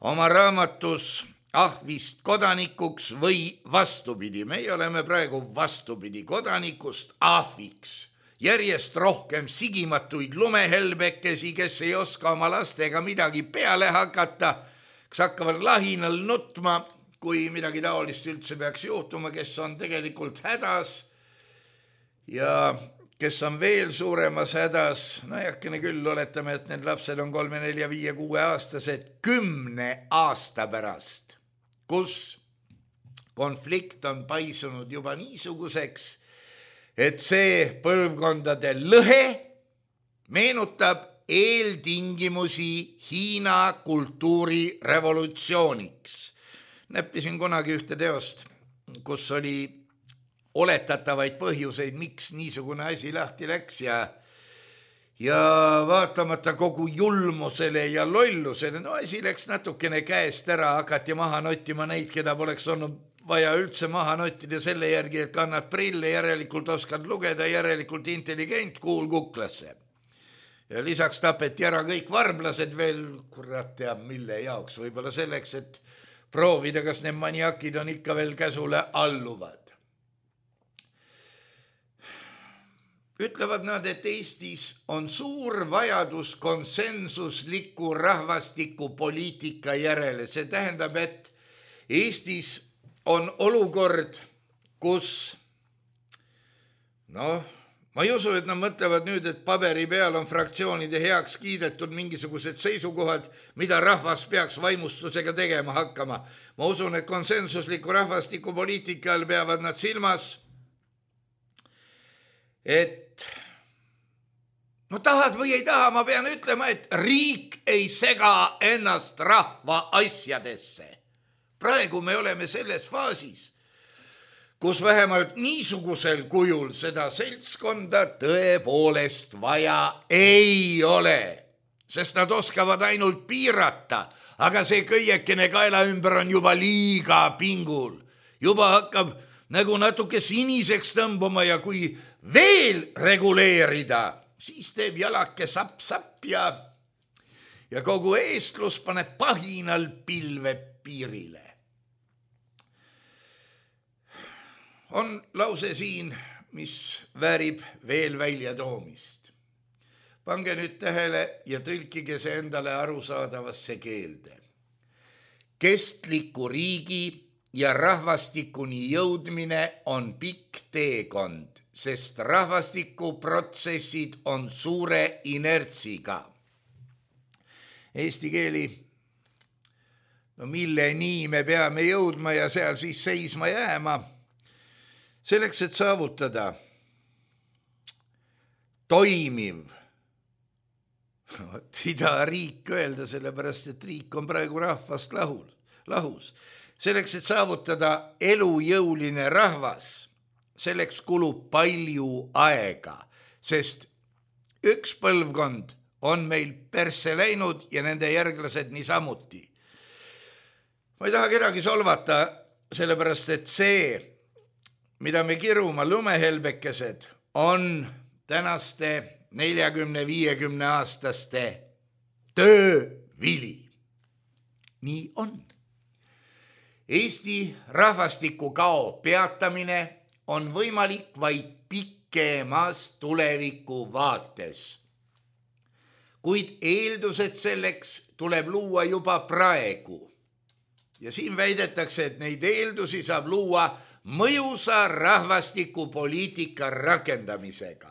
oma raamatus Ahvist kodanikuks või vastupidi. Meie oleme praegu vastupidi kodanikust ahviks. Järjest rohkem sigimatuid lumehelbekesi, kes ei oska oma lastega midagi peale hakata, kes hakkavad lahinal nutma, kui midagi taolist üldse peaks juhtuma, kes on tegelikult hädas ja kes on veel suuremas hädas. No jäkkene küll, oletame, et need lapsed on kolme, nelja, viie, kuue aastased kümne aasta pärast, kus konflikt on paisunud juba niisuguseks, et see põlvkondade lõhe meenutab eeltingimusi Hiina kultuurirevolutsiooniks. Näppisin kunagi ühte teost, kus oli oletatavaid põhjuseid, miks niisugune asi lahti läks ja, ja vaatamata kogu julmusele ja lollusele, no asi läks natukene käest ära, hakati maha nottima neid, keda poleks olnud vaja üldse maha nottida selle järgi, et kannad prille, järelikult oskad lugeda, järelikult intelligent, kuul kuklasse. Ja lisaks tapeti ära kõik varblased veel, kurat teab mille jaoks, võib-olla selleks, et proovida, kas need maniakid on ikka veel käsule alluvad. Ütlevad nad, et Eestis on suur vajadus konsensusliku rahvastiku poliitika järele. See tähendab, et Eestis on olukord, kus, noh, ma ei usu, et nad mõtlevad nüüd, et paberi peal on fraktsioonide heaks kiidetud mingisugused seisukohad, mida rahvas peaks vaimustusega tegema hakkama. Ma usun, et konsensusliku rahvastikupoliitikal peavad nad silmas, et no tahad või ei taha, ma pean ütlema, et riik ei sega ennast rahva asjadesse. Praegu me oleme selles faasis, kus vähemalt niisugusel kujul seda seltskonda tõepoolest vaja ei ole, sest nad oskavad ainult piirata, aga see kõiekene kaela ümber on juba liiga pingul. Juba hakkab nagu natuke siniseks tõmbuma ja kui veel reguleerida, siis teeb jalake sapp-sapp ja, ja kogu eestlus paneb pahinal pilve piirile. On lause siin, mis väärib veel välja toomist. Pange nüüd tähele ja tõlkige see endale arusaadavasse keelde. Kestliku riigi ja rahvastikuni jõudmine on pikk teekond, sest rahvastikuprotsessid on suure inertsiga. Eesti keeli, no milleni me peame jõudma ja seal siis seisma jääma, selleks, et saavutada toimiv, ei taha riik öelda, sellepärast, et riik on praegu rahvast lahul, lahus. Selleks, et saavutada elujõuline rahvas, selleks kulub palju aega, sest üks põlvkond on meil persse läinud ja nende järglased niisamuti. Ma ei taha kedagi solvata, sellepärast, et see, mida me kiruma lumehelbekesed, on tänaste neljakümne viiekümne aastaste töövili. Nii on. Eesti rahvastiku kao peatamine on võimalik vaid pikemas tuleviku vaates. Kuid eeldused selleks tuleb luua juba praegu. Ja siin väidetakse, et neid eeldusi saab luua mõjusa rahvastikupoliitika rakendamisega.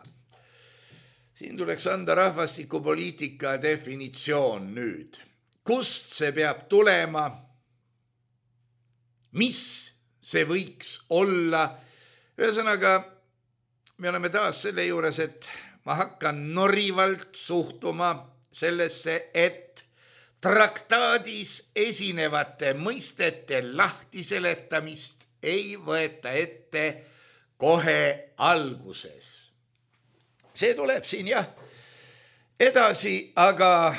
Siin tuleks anda rahvastikupoliitika definitsioon nüüd. Kust see peab tulema? Mis see võiks olla? Ühesõnaga, me oleme taas selle juures, et ma hakkan norivalt suhtuma sellesse, et traktaadis esinevate mõistete lahtiseletamist ei võeta ette kohe alguses. See tuleb siin jah edasi, aga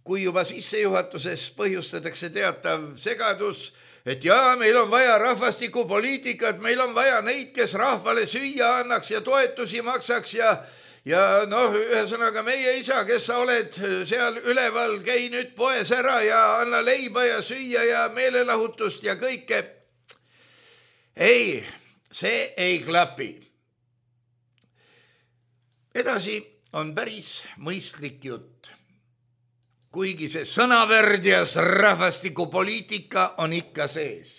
kui juba sissejuhatuses põhjustatakse teatav segadus, et jaa, meil on vaja rahvastikupoliitikat, meil on vaja neid, kes rahvale süüa annaks ja toetusi maksaks ja ja noh, ühesõnaga meie isa, kes sa oled seal üleval, käi nüüd poes ära ja anna leiba ja süüa ja meelelahutust ja kõike. Ei, see ei klapi. Edasi on päris mõistlik jutt. Kuigi see sõnavärdjas rahvastikupoliitika on ikka sees.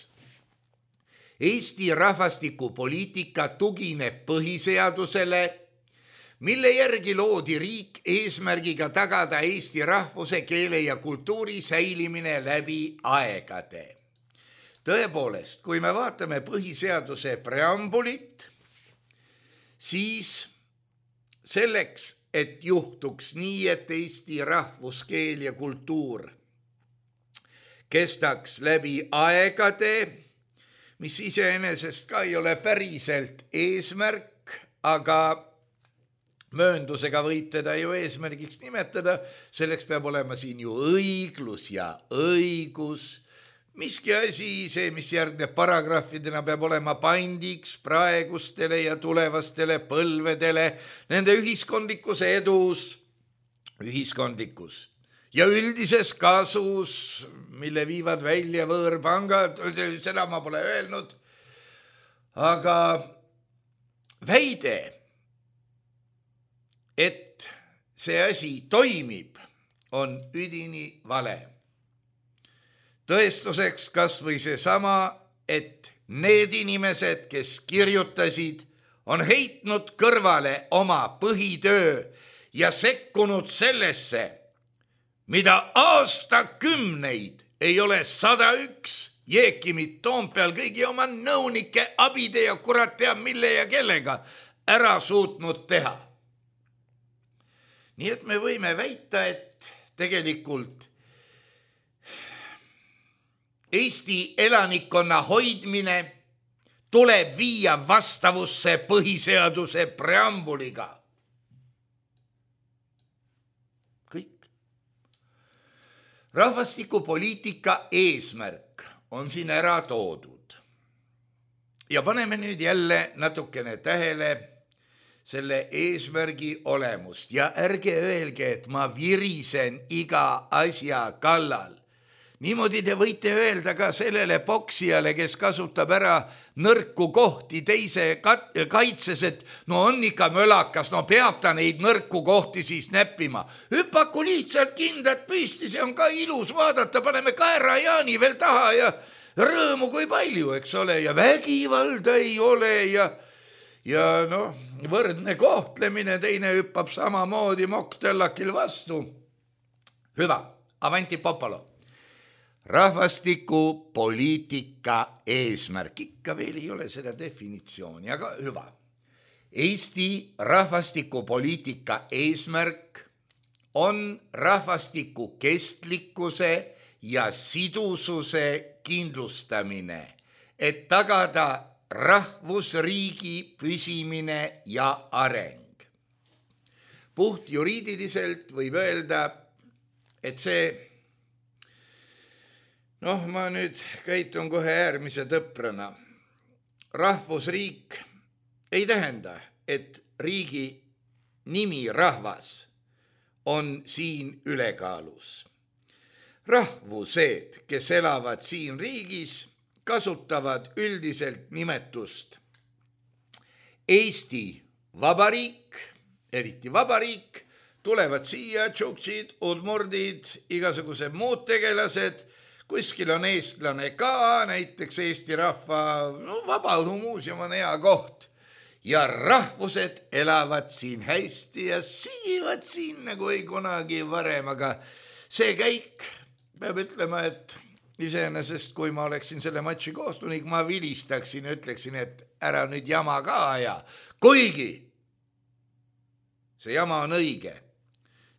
Eesti rahvastikupoliitika tugineb põhiseadusele, mille järgi loodi riik eesmärgiga tagada Eesti rahvuse, keele ja kultuuri säilimine läbi aegade. Tõepoolest, kui me vaatame põhiseaduse preambulit, siis selleks, et juhtuks nii, et Eesti rahvuskeel ja kultuur kestaks läbi aegade, mis iseenesest ka ei ole päriselt eesmärk, aga mööndusega võib teda ju eesmärgiks nimetada, selleks peab olema siin ju õiglus ja õigus. Miski asi, see, mis järgneb paragrahvidena, peab olema pandiks praegustele ja tulevastele põlvedele, nende ühiskondlikus edus, ühiskondlikus ja üldises kasus, mille viivad välja võõrpangad, seda ma pole öelnud, aga väide, et see asi toimib, on üdini vale. Tõestuseks kas või see sama, et need inimesed, kes kirjutasid, on heitnud kõrvale oma põhitöö ja sekkunud sellesse, mida aastakümneid ei ole sada üks Jeekimit Toompeal kõigi oma nõunike, abide ja kurat teab mille ja kellega ära suutnud teha. Nii et me võime väita, et tegelikult Eesti elanikkonna hoidmine tuleb viia vastavusse põhiseaduse preambuliga. Kõik. Rahvastikupoliitika eesmärk on siin ära toodud. Ja paneme nüüd jälle natukene tähele selle eesmärgi olemust ja ärge öelge, et ma virisen iga asja kallal. Niimoodi te võite öelda ka sellele poksijale, kes kasutab ära nõrku kohti teise kaitses, et no on ikka mölakas, no peab ta neid nõrku kohti siis näppima. Hüpaku lihtsalt kindad püsti, see on ka ilus vaadata, paneme kaerajaani veel taha ja rõõmu kui palju, eks ole, ja vägivalda ei ole ja ja noh, võrdne kohtlemine, teine hüppab samamoodi moktellakil vastu. Hüva, avanti popolo. Rahvastikupoliitika eesmärk, ikka veel ei ole seda definitsiooni, aga hüva. Eesti rahvastikupoliitika eesmärk on rahvastiku kestlikkuse ja sidususe kindlustamine, et tagada rahvusriigi püsimine ja areng. Puht juriidiliselt võib öelda, et see, noh, ma nüüd käitun kohe äärmise tõprana. Rahvusriik ei tähenda, et riigi nimi rahvas on siin ülekaalus. Rahvused, kes elavad siin riigis, kasutavad üldiselt nimetust Eesti Vabariik, eriti Vabariik, tulevad siia tšuksid, udmurdid, igasugused muud tegelased, kuskil on eestlane ka, näiteks Eesti Rahva no, Vabaõhumuuseum on hea koht ja rahvused elavad siin hästi ja sigivad siin nagu ei kunagi varem, aga see käik peab ütlema, et iseenesest, kui ma oleksin selle matši kohtunik, ma vilistaksin ja ütleksin, et ära nüüd jama ka aja. Kuigi see jama on õige,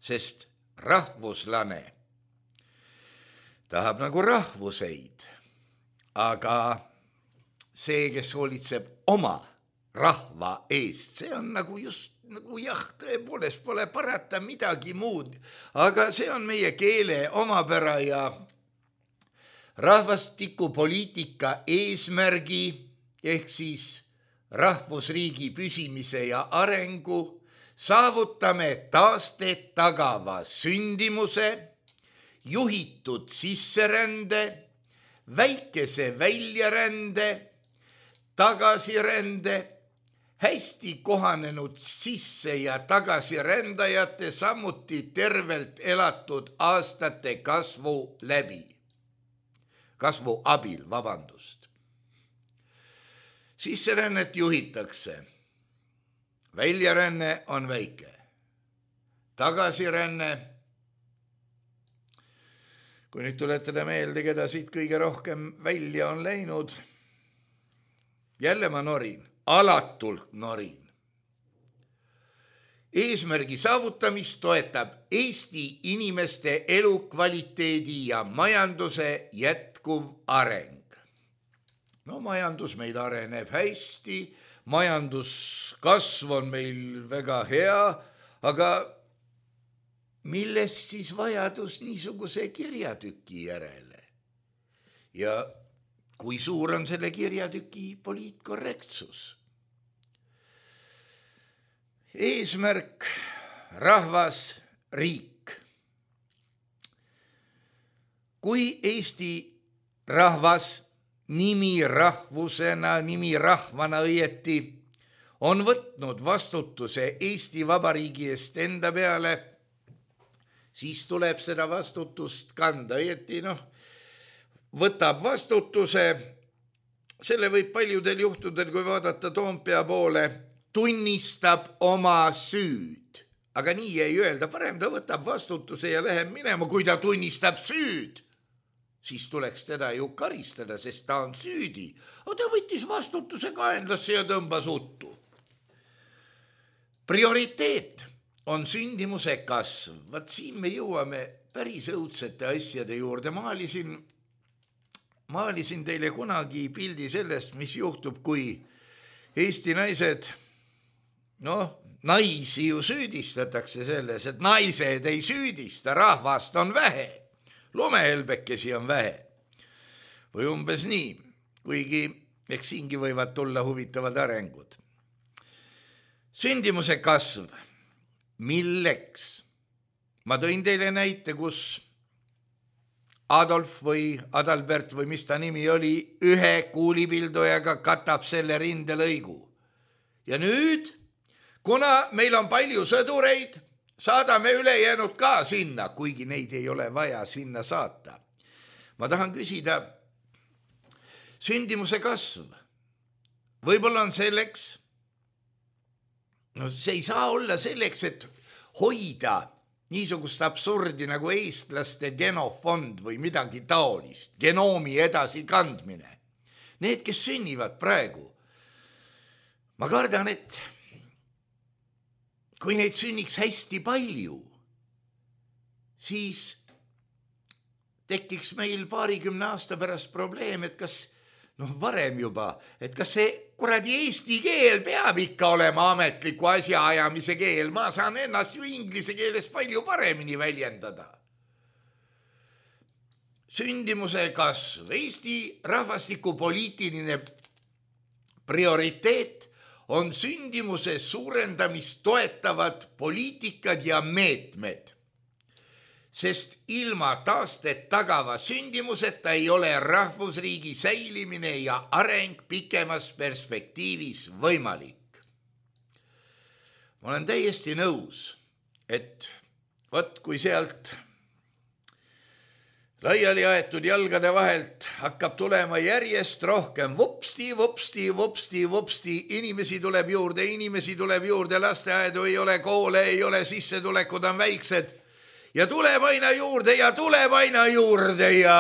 sest rahvuslane tahab nagu rahvuseid, aga see, kes hoolitseb oma rahva eest, see on nagu just nagu jah, tõepoolest pole parata midagi muud, aga see on meie keele omapära ja rahvastikupoliitika eesmärgi ehk siis rahvusriigi püsimise ja arengu saavutame taastet tagava sündimuse, juhitud sisserände, väikese väljarände, tagasirände, hästi kohanenud sisse- ja tagasirändajate, samuti tervelt elatud aastate kasvu läbi. Kasvu abil, vabandust. Sisserännet juhitakse. Väljaränne on väike. Tagasiränne. Kui nüüd tuletada meelde, keda siit kõige rohkem välja on läinud. Jälle ma norin, alatult norin. Eesmärgi saavutamist toetab Eesti inimeste elukvaliteedi ja majanduse jätkuv areng. No majandus meil areneb hästi, majanduskasv on meil väga hea, aga millest siis vajadus niisuguse kirjatüki järele? Ja kui suur on selle kirjatüki poliitkorrektsus? Eesmärk, rahvas, riik. Kui Eesti rahvas nimi rahvusena, nimi rahvana õieti on võtnud vastutuse Eesti Vabariigi eest enda peale, siis tuleb seda vastutust kanda õieti, noh, võtab vastutuse, selle võib paljudel juhtudel, kui vaadata Toompea poole, tunnistab oma süüd. Aga nii ei öelda, parem ta võtab vastutuse ja läheb minema, kui ta tunnistab süüd. Siis tuleks teda ju karistada, sest ta on süüdi. Aga ta võttis vastutuse kaenlasse ja tõmbas uttu. Prioriteet on sündimuse kasv. Vaat siin me jõuame päris õudsete asjade juurde. Maalisin maalisin teile kunagi pildi sellest, mis juhtub, kui Eesti naised, noh, naisi ju süüdistatakse selles, et naised ei süüdista, rahvast on vähe, lumehelbekesi on vähe. Või umbes nii, kuigi eks siingi võivad tulla huvitavad arengud. Sündimuse kasv, milleks? Ma tõin teile näite, kus Adolf või Adalbert või mis ta nimi oli, ühe kuulipildujaga katab selle rindelõigu. Ja nüüd, kuna meil on palju sõdureid, saadame ülejäänud ka sinna, kuigi neid ei ole vaja sinna saata. Ma tahan küsida, sündimuse kasv, võib-olla on selleks, no see ei saa olla selleks, et hoida niisugust absurdi nagu eestlaste genofond või midagi taolist, genoomi edasikandmine. Need, kes sünnivad praegu, ma kardan, et kui neid sünniks hästi palju, siis tekiks meil paarikümne aasta pärast probleem, et kas, noh varem juba, et kas see kuradi eesti keel peab ikka olema ametliku asjaajamise keel, ma saan ennast ju inglise keeles palju paremini väljendada. Sündimuse kasv, Eesti rahvastikupoliitiline prioriteet on sündimuse suurendamist toetavad poliitikad ja meetmed, sest ilma taastet tagava sündimuseta ei ole rahvusriigi säilimine ja areng pikemas perspektiivis võimalik. Ma olen täiesti nõus, et võt kui sealt laiali aetud jalgade vahelt hakkab tulema järjest rohkem vupsti, vupsti, vupsti, vupsti, inimesi tuleb juurde, inimesi tuleb juurde, lasteaedu ei ole, koole ei ole, sissetulekud on väiksed ja tuleb aina juurde ja tuleb aina juurde ja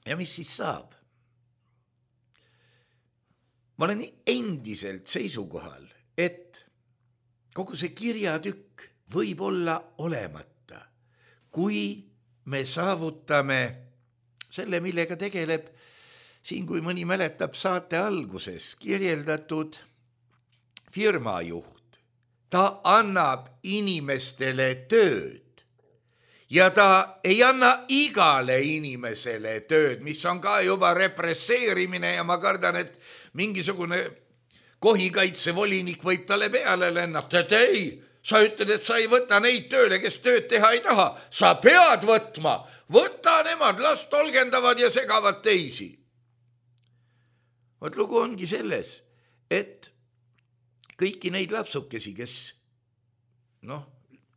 ja mis siis saab? Ma olen endiselt seisukohal, et kogu see kirjatükk võib olla olemata, kui me saavutame selle, millega tegeleb siin, kui mõni mäletab saate alguses kirjeldatud firmajuht. Ta annab inimestele tööd ja ta ei anna igale inimesele tööd, mis on ka juba represseerimine ja ma kardan, et mingisugune kohikaitsevolinik võib talle peale lennata, et ei, sa ütled, et sa ei võta neid tööle, kes tööd teha ei taha, sa pead võtma, võta nemad, las tolgendavad ja segavad teisi. Võt lugu ongi selles, et kõiki neid lapsukesi, kes noh,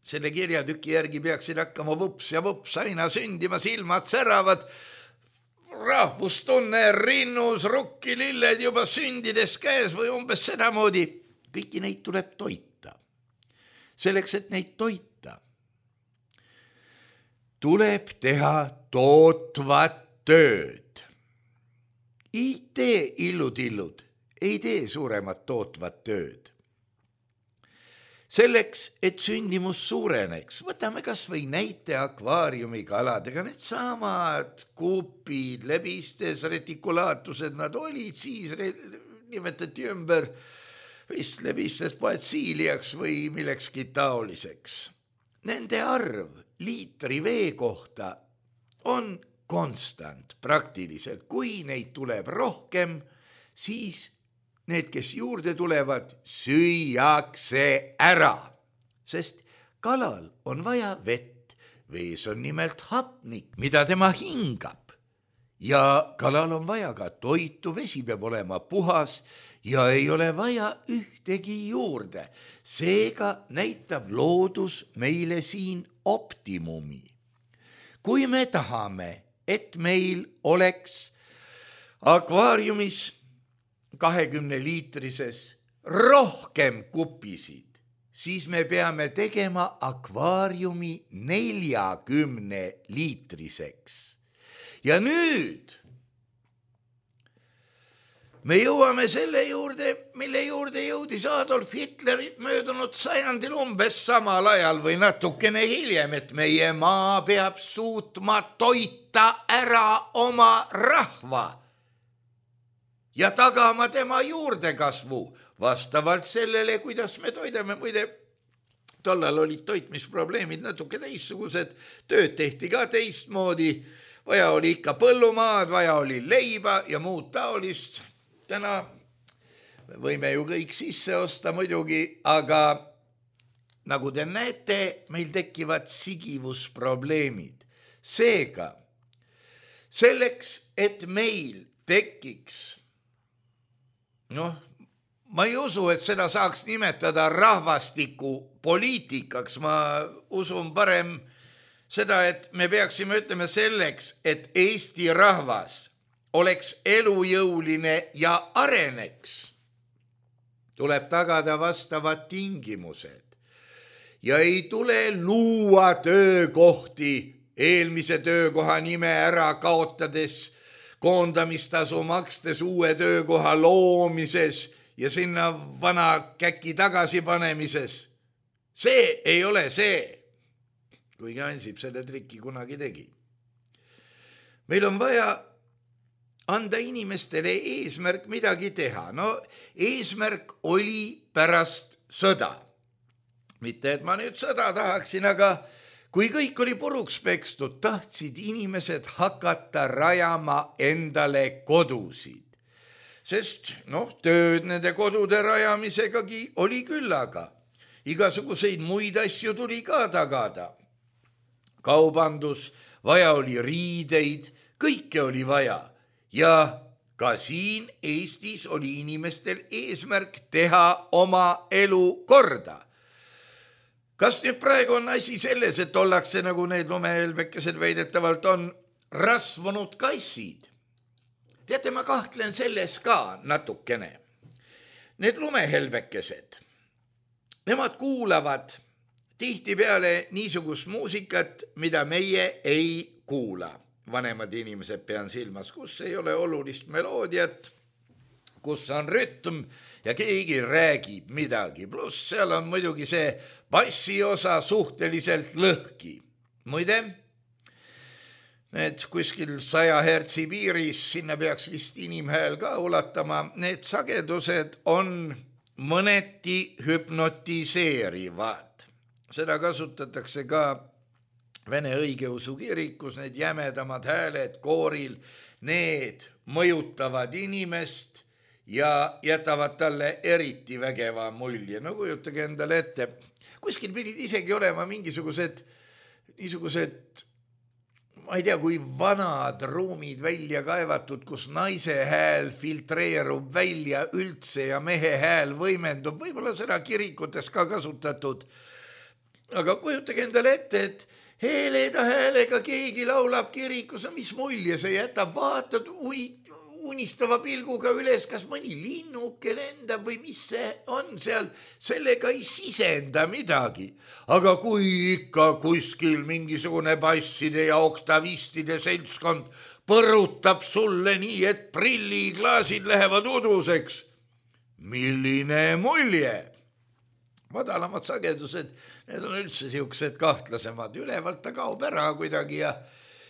selle kirjatüki järgi peaksid hakkama vups ja vups aina sündima, silmad säravad, rahvustunne rinnus, rukkililled juba sündides käes või umbes sedamoodi, kõiki neid tuleb toita. Selleks, et neid toita, tuleb teha tootvat tööd. Ei tee illud-illud, ei tee suuremat tootvat tööd. Selleks, et sündimus suureneks, võtame kas või näite akvaariumi kaladega, need samad kuupid, lebistes, retikulaatlused, nad olid siis, nimetati ümber vist lebistes poetsiiliaks või millekski taoliseks. Nende arv liitri vee kohta on konstant praktiliselt, kui neid tuleb rohkem, siis need, kes juurde tulevad, süüakse ära, sest kalal on vaja vett, vees on nimelt hapnik, mida tema hingab ja kalal on vaja ka toitu, vesi peab olema puhas ja ei ole vaja ühtegi juurde. Seega näitab loodus meile siin optimumi. Kui me tahame, et meil oleks akvaariumis kahekümne liitrises rohkem kupisid, siis me peame tegema akvaariumi neljakümne liitriseks. Ja nüüd me jõuame selle juurde, mille juurde jõudis Adolf Hitler möödunud sajandil umbes samal ajal või natukene hiljem, et meie maa peab suutma toita ära oma rahva ja tagama tema juurdekasvu vastavalt sellele, kuidas me toidame. Muide, tollal olid toitmisprobleemid natuke teistsugused, tööd tehti ka teistmoodi, vaja oli ikka põllumaad, vaja oli leiba ja muud taolist. Täna võime ju kõik sisse osta muidugi, aga nagu te näete, meil tekivad sigivusprobleemid. Seega, selleks, et meil tekiks, noh, ma ei usu, et seda saaks nimetada rahvastiku poliitikaks. Ma usun parem seda, et me peaksime ütlema selleks, et Eesti rahvas oleks elujõuline ja areneks, tuleb tagada vastavad tingimused ja ei tule luua töökohti eelmise töökoha nime ära kaotades, koondamistasu makstes uue töökoha loomises ja sinna vana käki tagasi panemises. See ei ole see, kuigi Ansip selle triki kunagi tegi. Meil on vaja anda inimestele eesmärk midagi teha. No eesmärk oli pärast sõda. Mitte, et ma nüüd sõda tahaksin, aga kui kõik oli puruks pekstud, tahtsid inimesed hakata rajama endale kodusid. Sest noh, tööd nende kodude rajamisegagi oli küllaga. Igasuguseid muid asju tuli ka tagada. Kaubandus, vaja oli riideid, kõike oli vaja. Ja ka siin Eestis oli inimestel eesmärk teha oma elu korda. Kas nüüd praegu on asi selles, et ollakse nagu need lumehelbekesed väidetavalt on rasvunud kassid? Teate, ma kahtlen selles ka natukene. Need lumehelbekesed, nemad kuulavad tihtipeale niisugust muusikat, mida meie ei kuula. Vanemad inimesed pean silmas, kus ei ole olulist meloodiat, kus on rütm ja keegi räägib midagi. Pluss seal on muidugi see bassiosa suhteliselt lõhki. Muide, need kuskil saja hertsi piiris, sinna peaks vist inimhääl ka ulatama, need sagedused on mõneti hüpnotiseerivad. Seda kasutatakse ka Vene õigeusu kirikus, need jämedamad hääled kooril, need mõjutavad inimest ja jätavad talle eriti vägeva mulje. No kujutage endale ette, kuskil pidid isegi olema mingisugused, niisugused, ma ei tea, kui vanad ruumid välja kaevatud, kus naise hääl filtreerub välja üldse ja mehe hääl võimendub, võib-olla seda kirikutes ka kasutatud. Aga kujutage endale ette, et Heleda häälega keegi laulab kirikus, mis mulje see jätab, vaatad unistava pilguga üles, kas mõni linnuke lendab või mis see on seal, sellega ei sisenda midagi. Aga kui ikka kuskil mingisugune basside ja oktavistide seltskond põrutab sulle nii, et prilliklaasid lähevad uduseks, milline mulje? Madalamad sagedused, need on üldse siuksed kahtlasemad, ülevalt ta kaob ära kuidagi ja,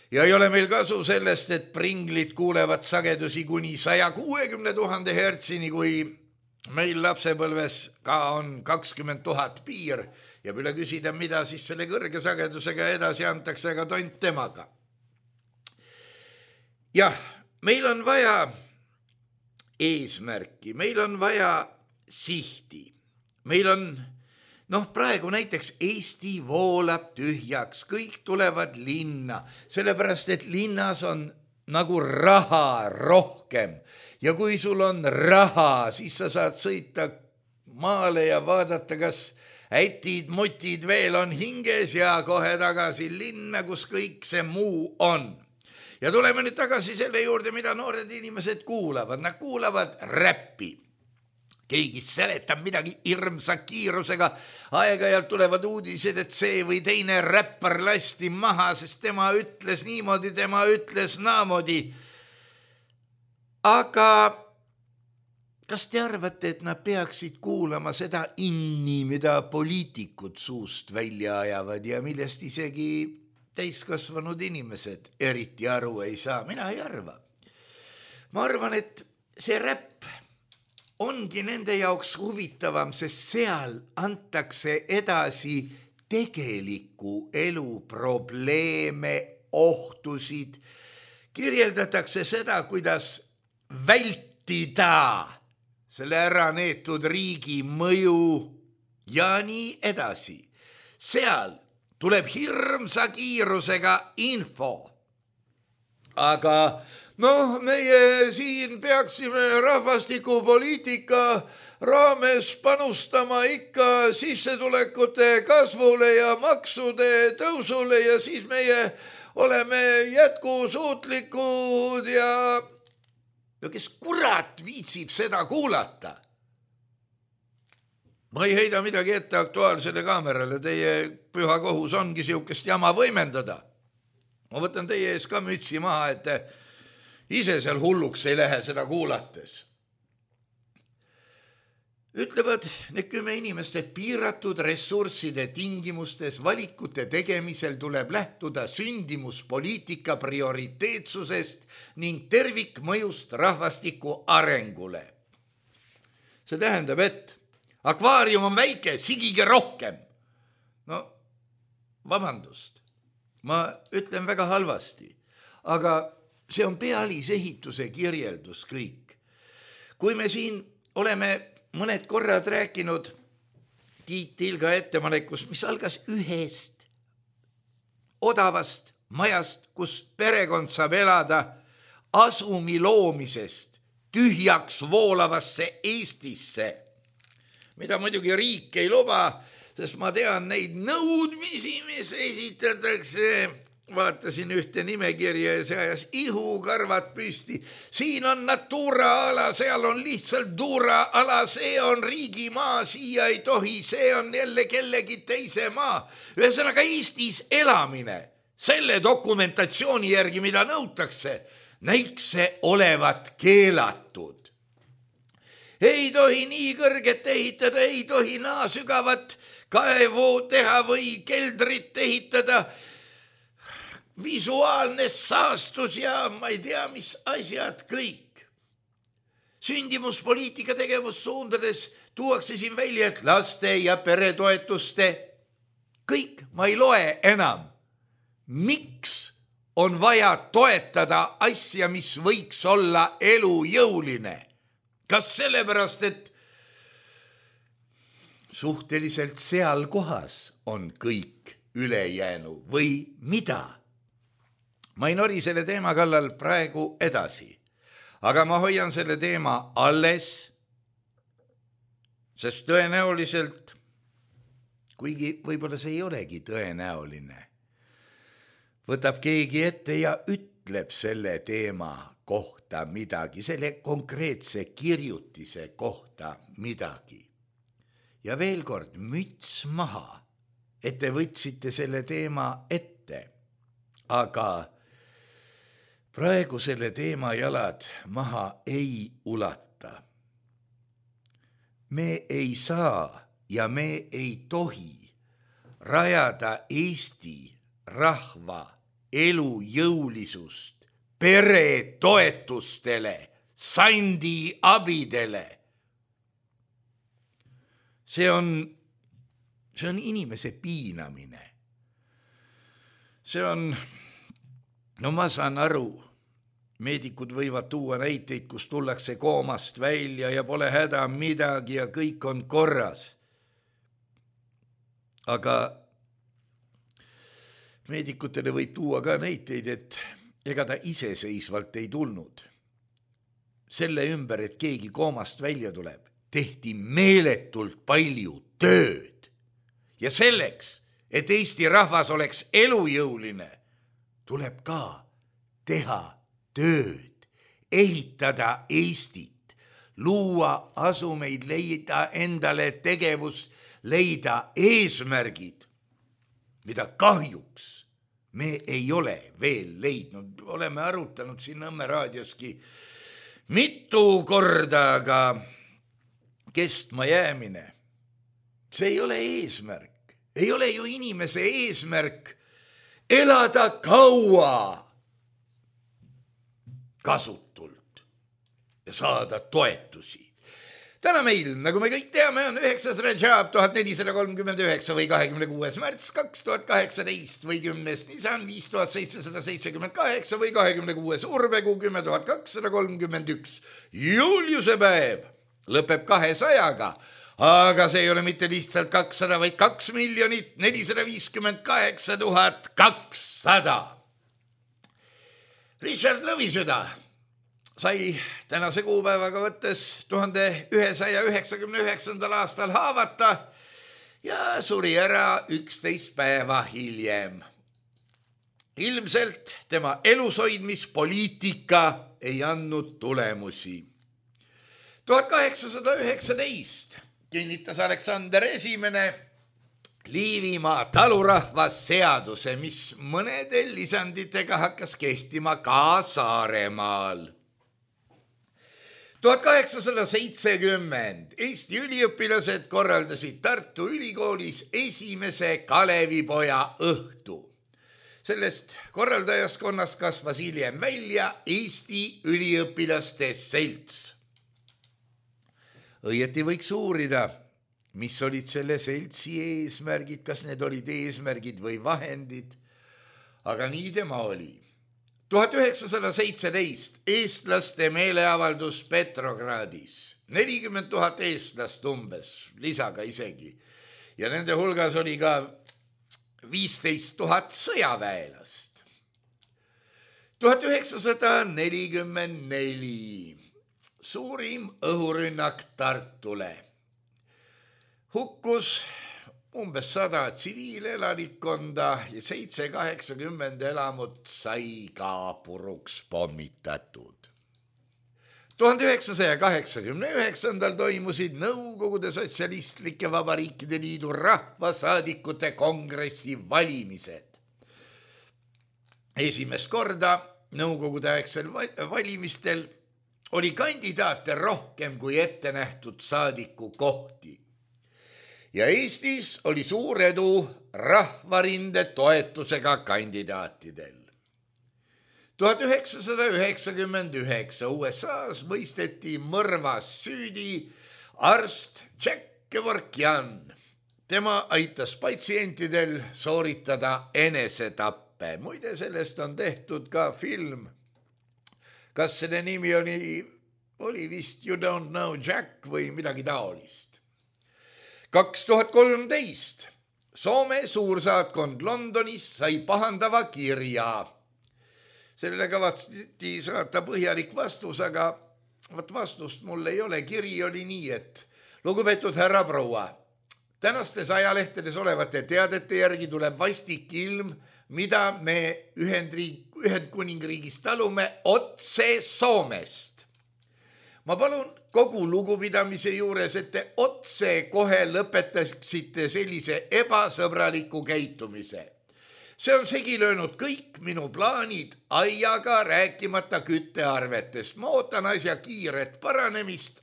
ja ei ole meil kasu sellest, et pringlid kuulevad sagedusi kuni saja kuuekümne tuhande hertsini, kui meil lapsepõlves ka on kakskümmend tuhat piir ja üle küsida, mida siis selle kõrge sagedusega edasi antakse, aga tont temaga. Jah, meil on vaja eesmärki, meil on vaja sihti. Meil on, noh praegu näiteks Eesti voolab tühjaks, kõik tulevad linna, sellepärast et linnas on nagu raha rohkem. Ja kui sul on raha, siis sa saad sõita maale ja vaadata, kas ätid, mutid veel on hinges ja kohe tagasi linna, kus kõik see muu on. Ja tuleme nüüd tagasi selle juurde, mida noored inimesed kuulavad. Nad kuulavad räppi. Keegi seletab midagi hirmsa kiirusega, aeg-ajalt tulevad uudised, et see või teine räppar lasti maha, sest tema ütles niimoodi, tema ütles naamoodi. Aga kas te arvate, et nad peaksid kuulama seda inni, mida poliitikud suust välja ajavad ja millest isegi täiskasvanud inimesed eriti aru ei saa? Mina ei arva. Ma arvan, et see räpp ongi nende jaoks huvitavam, sest seal antakse edasi tegeliku elu probleeme, ohtusid, kirjeldatakse seda, kuidas vältida selle ära neetud riigi mõju ja nii edasi. Seal tuleb hirmsa kiirusega info. Aga noh, meie siin peaksime rahvastikupoliitika raames panustama ikka sissetulekute kasvule ja maksude tõusule ja siis meie oleme jätkusuutlikud ja no kes kurat viitsib seda kuulata? Ma ei heida midagi ette Aktuaalsele Kaamerale, teie püha kohus ongi siukest jama võimendada. Ma võtan teie ees ka mütsi maha, et te ise seal hulluks ei lähe seda kuulates. Ütlevad need kümme inimest, et piiratud ressursside tingimustes valikute tegemisel tuleb lähtuda sündimuspoliitika prioriteetsusest ning tervikmõjust rahvastiku arengule. See tähendab, et akvaarium on väike, sigige rohkem. No, vabandust, ma ütlen väga halvasti, aga see on pealisehituse kirjeldus kõik. Kui me siin oleme mõned korrad rääkinud Tiit Tilga ettepanekust, mis algas ühest odavast majast, kus perekond saab elada, asumi loomisest tühjaks voolavasse Eestisse, mida muidugi riik ei luba, sest ma tean neid nõudmisi, mis esitatakse. Vaatasin ühte nimekirja ja see ajas ihukarvad püsti. Siin on Natura ala, seal on lihtsalt Dura ala, see on riigimaa, siia ei tohi, see on jälle kellegi teise maa. Ühesõnaga Eestis elamine, selle dokumentatsiooni järgi, mida nõutakse, näiks see olevat keelatud. Ei tohi nii kõrget ehitada, ei tohi naa sügavat kaevu teha või keldrit ehitada, visuaalne saastus ja ma ei tea, mis asjad kõik. Sündimuspoliitika tegevussuundades tuuakse siin välja, et laste ja peretoetuste kõik, ma ei loe enam. Miks on vaja toetada asja, mis võiks olla elujõuline? Kas sellepärast, et suhteliselt seal kohas on kõik ülejäänu või mida? Ma ei nori selle teema kallal praegu edasi, aga ma hoian selle teema alles, sest tõenäoliselt, kuigi võib-olla see ei olegi tõenäoline, võtab keegi ette ja ütleb selle teema kohta midagi, selle konkreetse kirjutise kohta midagi. Ja veel kord, müts maha, et te võtsite selle teema ette, aga praegu selle teema jalad maha ei ulata. Me ei saa ja me ei tohi rajada Eesti rahva elujõulisust peretoetustele, sandi abidele. See on, see on inimese piinamine. See on, no ma saan aru, meedikud võivad tuua näiteid, kus tullakse koomast välja ja pole häda midagi ja kõik on korras. Aga meedikutele võib tuua ka näiteid, et ega ta iseseisvalt ei tulnud. Selle ümber, et keegi koomast välja tuleb, tehti meeletult palju tööd. Ja selleks, et Eesti rahvas oleks elujõuline, tuleb ka teha tööd, ehitada Eestit, luua asumeid, leida endale tegevus, leida eesmärgid, mida kahjuks me ei ole veel leidnud. Oleme arutanud siin Nõmme raadioski mitu korda, aga kestma jäämine. See ei ole eesmärk. Ei ole ju inimese eesmärk elada kaua kasutult ja saada toetusi. Täna meil, nagu me kõik teame, on üheksas Rajab tuhat nelisada kolmkümmend üheksa või kahekümne kuues märts kaks tuhat kaheksateist või kümnes Nisan viis tuhat seitsesada seitsekümmend kaheksa või kahekümne kuues Urbekuu kümme tuhat kakssada kolmkümmend üks. Juliuse päev lõpeb kahesajaga, aga see ei ole mitte lihtsalt kakssada, vaid kaks miljonit nelisada viiskümmend kaheksa tuhat kakssada. Richard Lõvisüda sai tänase kuupäevaga võttes tuhande ühesaja üheksakümne üheksandal aastal haavata ja suri ära üksteist päeva hiljem. Ilmselt tema elushoidmispoliitika ei andnud tulemusi. tuhat kaheksasada üheksateist kinnitas Aleksander Esimene Liivimaa talurahvasseaduse, mis mõnede lisanditega hakkas kehtima ka Saaremaal. tuhat kaheksasada seitsekümmend Eesti üliõpilased korraldasid Tartu Ülikoolis esimese Kalevipoja õhtu. Sellest korraldajaskonnast kasvas hiljem välja Eesti üliõpilaste selts. Õieti võiks uurida, mis olid selle seltsi eesmärgid, kas need olid eesmärgid või vahendid, aga nii tema oli. tuhat üheksasada seitseteist eestlaste meeleavaldus Petrogradis, nelikümmend tuhat eestlast umbes, lisaga isegi, ja nende hulgas oli ka viisteist tuhat sõjaväelast. tuhat üheksasada nelikümmend neli suurim õhurünnak Tartule. Hukkus umbes sada tsiviilelanikkonda ja seitse kaheksakümmend elamut sai ka puruks pommitatud. tuhande üheksasaja kaheksakümne üheksandal toimusid Nõukogude Sotsialistlike Vabariikide Liidu rahvasaadikute kongressi valimised. Esimest korda Nõukogude aegsel valimistel oli kandidaate rohkem kui ette nähtud saadiku kohti. Ja Eestis oli suur edu rahvarinde toetusega kandidaatidel. tuhat üheksasada üheksakümmend üheksa U S A-s mõisteti mõrvas süüdi arst Jack Kevorkian. Tema aitas patsientidel sooritada enesetappe. Muide, sellest on tehtud ka film. Kas selle nimi oli, oli vist You Don't Know Jack või midagi taolist. kaks tuhat kolmteist Soome suursaatkond Londonis sai pahandava kirja. Sellele kavatseti saata põhjalik vastus, aga võt vastust mul ei ole. Kiri oli nii, et lugupeetud härra proua, tänastes ajalehtedes olevate teadete järgi tuleb vastik ilm, mida me Ühendriik, Ühendkuningriigis talume otse Soomest. Ma palun kogu lugupidamise juures, et te otse kohe lõpetaksite sellise ebasõbraliku käitumise. See on segi löönud kõik minu plaanid aiaga rääkimata küttearvetest. Ma ootan asja kiiret paranemist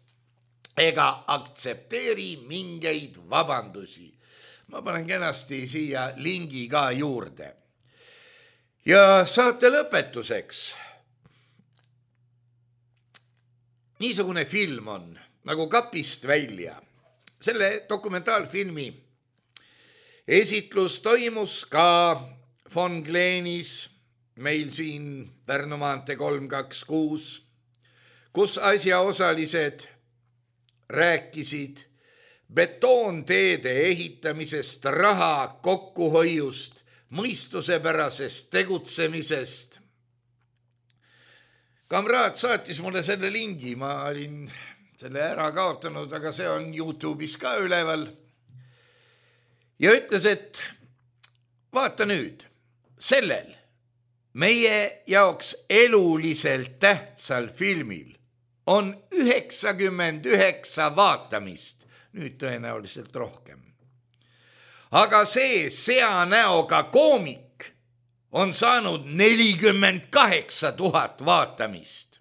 ega aktsepteeri mingeid vabandusi. Ma panen kenasti siia lingi ka juurde. Ja saate lõpetuseks. Niisugune film on nagu Kapist välja. Selle dokumentaalfilmi esitlus toimus ka Von Gleenis, meil siin Pärnu maantee kolm kaks kuus, kus asjaosalised rääkisid betoonteede ehitamisest, raha kokkuhoiust, mõistusepärasest tegutsemisest. Kamraad saatis mulle selle lingi, ma olin selle ära kaotanud, aga see on YouTube'is ka üleval. Ja ütles, et vaata nüüd, sellel meie jaoks eluliselt tähtsal filmil on üheksakümmend üheksa vaatamist, nüüd tõenäoliselt rohkem. Aga see seanäoga koomik on saanud nelikümmend kaheksa tuhat vaatamist.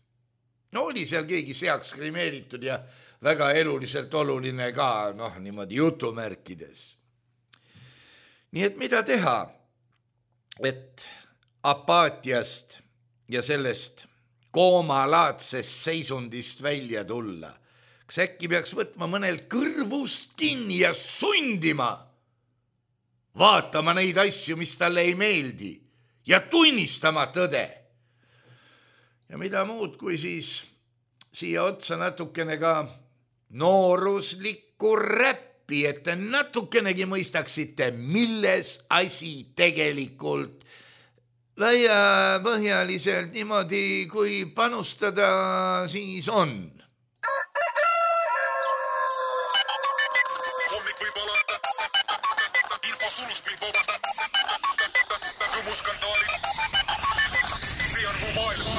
No oli seal keegi seaks krimeeritud ja väga eluliselt oluline ka, noh, niimoodi jutumärkides. Nii et mida teha, et apaatiast ja sellest koomalaadsest seisundist välja tulla? Kas äkki peaks võtma mõnelt kõrvust kinni ja sundima, vaatama neid asju, mis talle ei meeldi ja tunnistama tõde? Ja mida muud, kui siis siia otsa natukene ka nooruslikku räppi, et te natukenegi mõistaksite, milles asi tegelikult laiapõhjaliselt niimoodi, kui panustada siis on. Hommik võib alata, info sulust mind vabasta, rõmuskandaalid, see on mu maailm.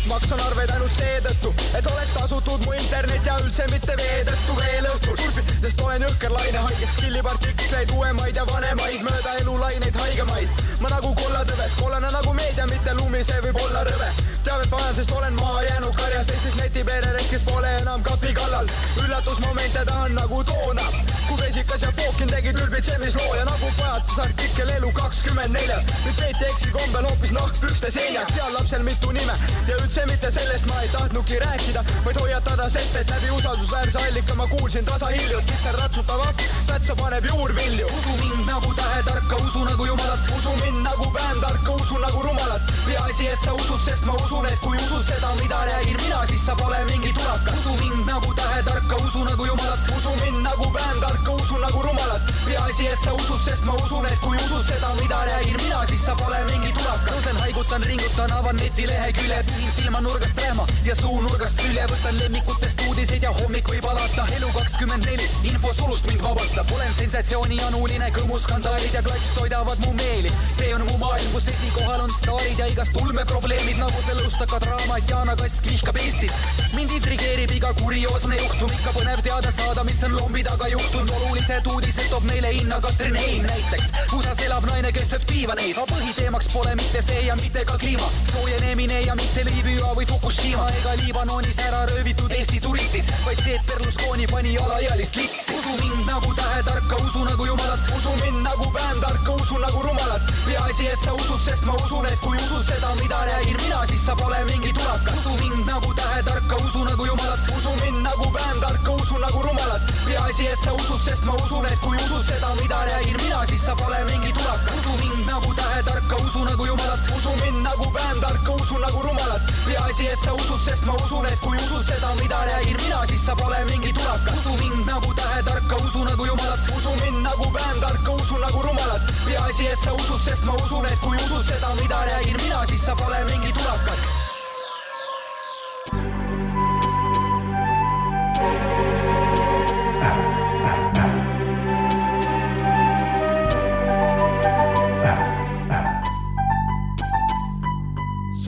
Maksan arveid ainult seetõttu, et oleks tasutud mu internet ja üldse mitte veedõttu veel õhtul surfid, sest olen jõhker laine haigest skillipartikleid, uuemaid ja vanemaid, mööda elulaineid haigemaid. Ma nagu kollatõves, kollane nagu meedia, mitte lumi, see võib olla rõve. Teavet vajan, sest olen maha jäänud karjast Eestis netipereres, kes pole enam kapi kallal. Üllatusmomente tahan nagu toona, kui vesikas ja Fookin tegi ülbitsemisloo ja nagu pajatus artikkel elu kakskümmend neljas. Nüüd peeti eksi kombel hoopis nahkpükste seljaks, seal lapsel mitu nime ja üldse mitte sellest ma ei tahtnudki rääkida, vaid hoiatada, sest et läbi usaldusväärse allika ma kuulsin tasa hiljut, kitser ratsutava, pätsa paneb juurvilju. Usu mind nagu tähetarka, usu nagu jumalat, usu mind nagu pääntarka, usu nagu rumalat. Ja asi, et sa usud, sest ma usun, et kui usud seda, mida räägin mina, siis sa pole mingi tulaka. Usu mind nagu tähetarka, usu nagu jumalat, usu mind nagu pääntarka, usu nagu rumalat. Ja asi, et sa usud, sest ma usun, et kui usud seda, mida räägin mina, siis sa pole mingi tulaka. Tõusen, haigutan, ringutan, avan netilehekülje, pühin silma nurgast rähma ja suu nurgast sülje, võtan lemmikutest uudiseid ja hommik võib alata. Elu kakskümmend neli, info sulust mind vabastab. Olen sensatsiooni anuline, kõmuskandaalid ja klats toidavad mu meeli. See on mu maailm, kus esikohal on staarid ja igast ulmeprobleemid, nagu see lõustaka draama, et Jaana Kask vihkab Eestit. Mind intrigeerib iga kurioosne juhtum, ikka põnev teada saada, mis on lombi taga juhtunud. Olulised uudised toob meile hinna Katrin Hein näiteks. Usas elab naine, kes sööb piivaneid, aga põhiteemaks pole mitte see ja mitte ka kliima. Soojenemine ja mitte Liibüa või Fukushima ega Liibanonis ära röövitud Eesti turistid, vaid see, et Berlusconi pani alaealist litsi. Usu mind nagu tähetarka, usu nagu jumalat, usu mind nagu pääntarka, usu nagu rumalat. Ja asi, et sa usud, sest ma usun, et kui usud seda, mida räägin mina, siis sa pole mingi tulaka. Usu mind nagu tähetarka, usu nagu jumalat, usu mind nagu pääntarka, usu nagu rumalat. Ja asi, et sa usud, sest ma usun, et kui usud seda, mida räägin mina, siis sa pole mingi tulaka. Usu mind nagu tähetarka, usu nagu jumalat, usu mind nagu pääntarka, usu nagu rumalat. Ja asi, et sa usud, sest ma usun, et kui usud seda, mida räägin mina, siis sa pole mingi tulaka. Usu mind nagu tähetarka, usu nagu jumalat, usu mind nagu pääntarka, usu nagu rumalat. Ja asi, et sa usud, sest ma usun, et kui usud seda, mida räägin mina, siis sa pole mingi tulakas.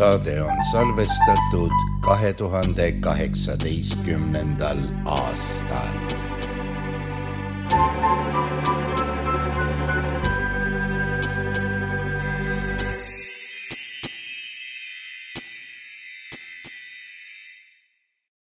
Saade on salvestatud kahe tuhande kaheksateistkümnendal aastal.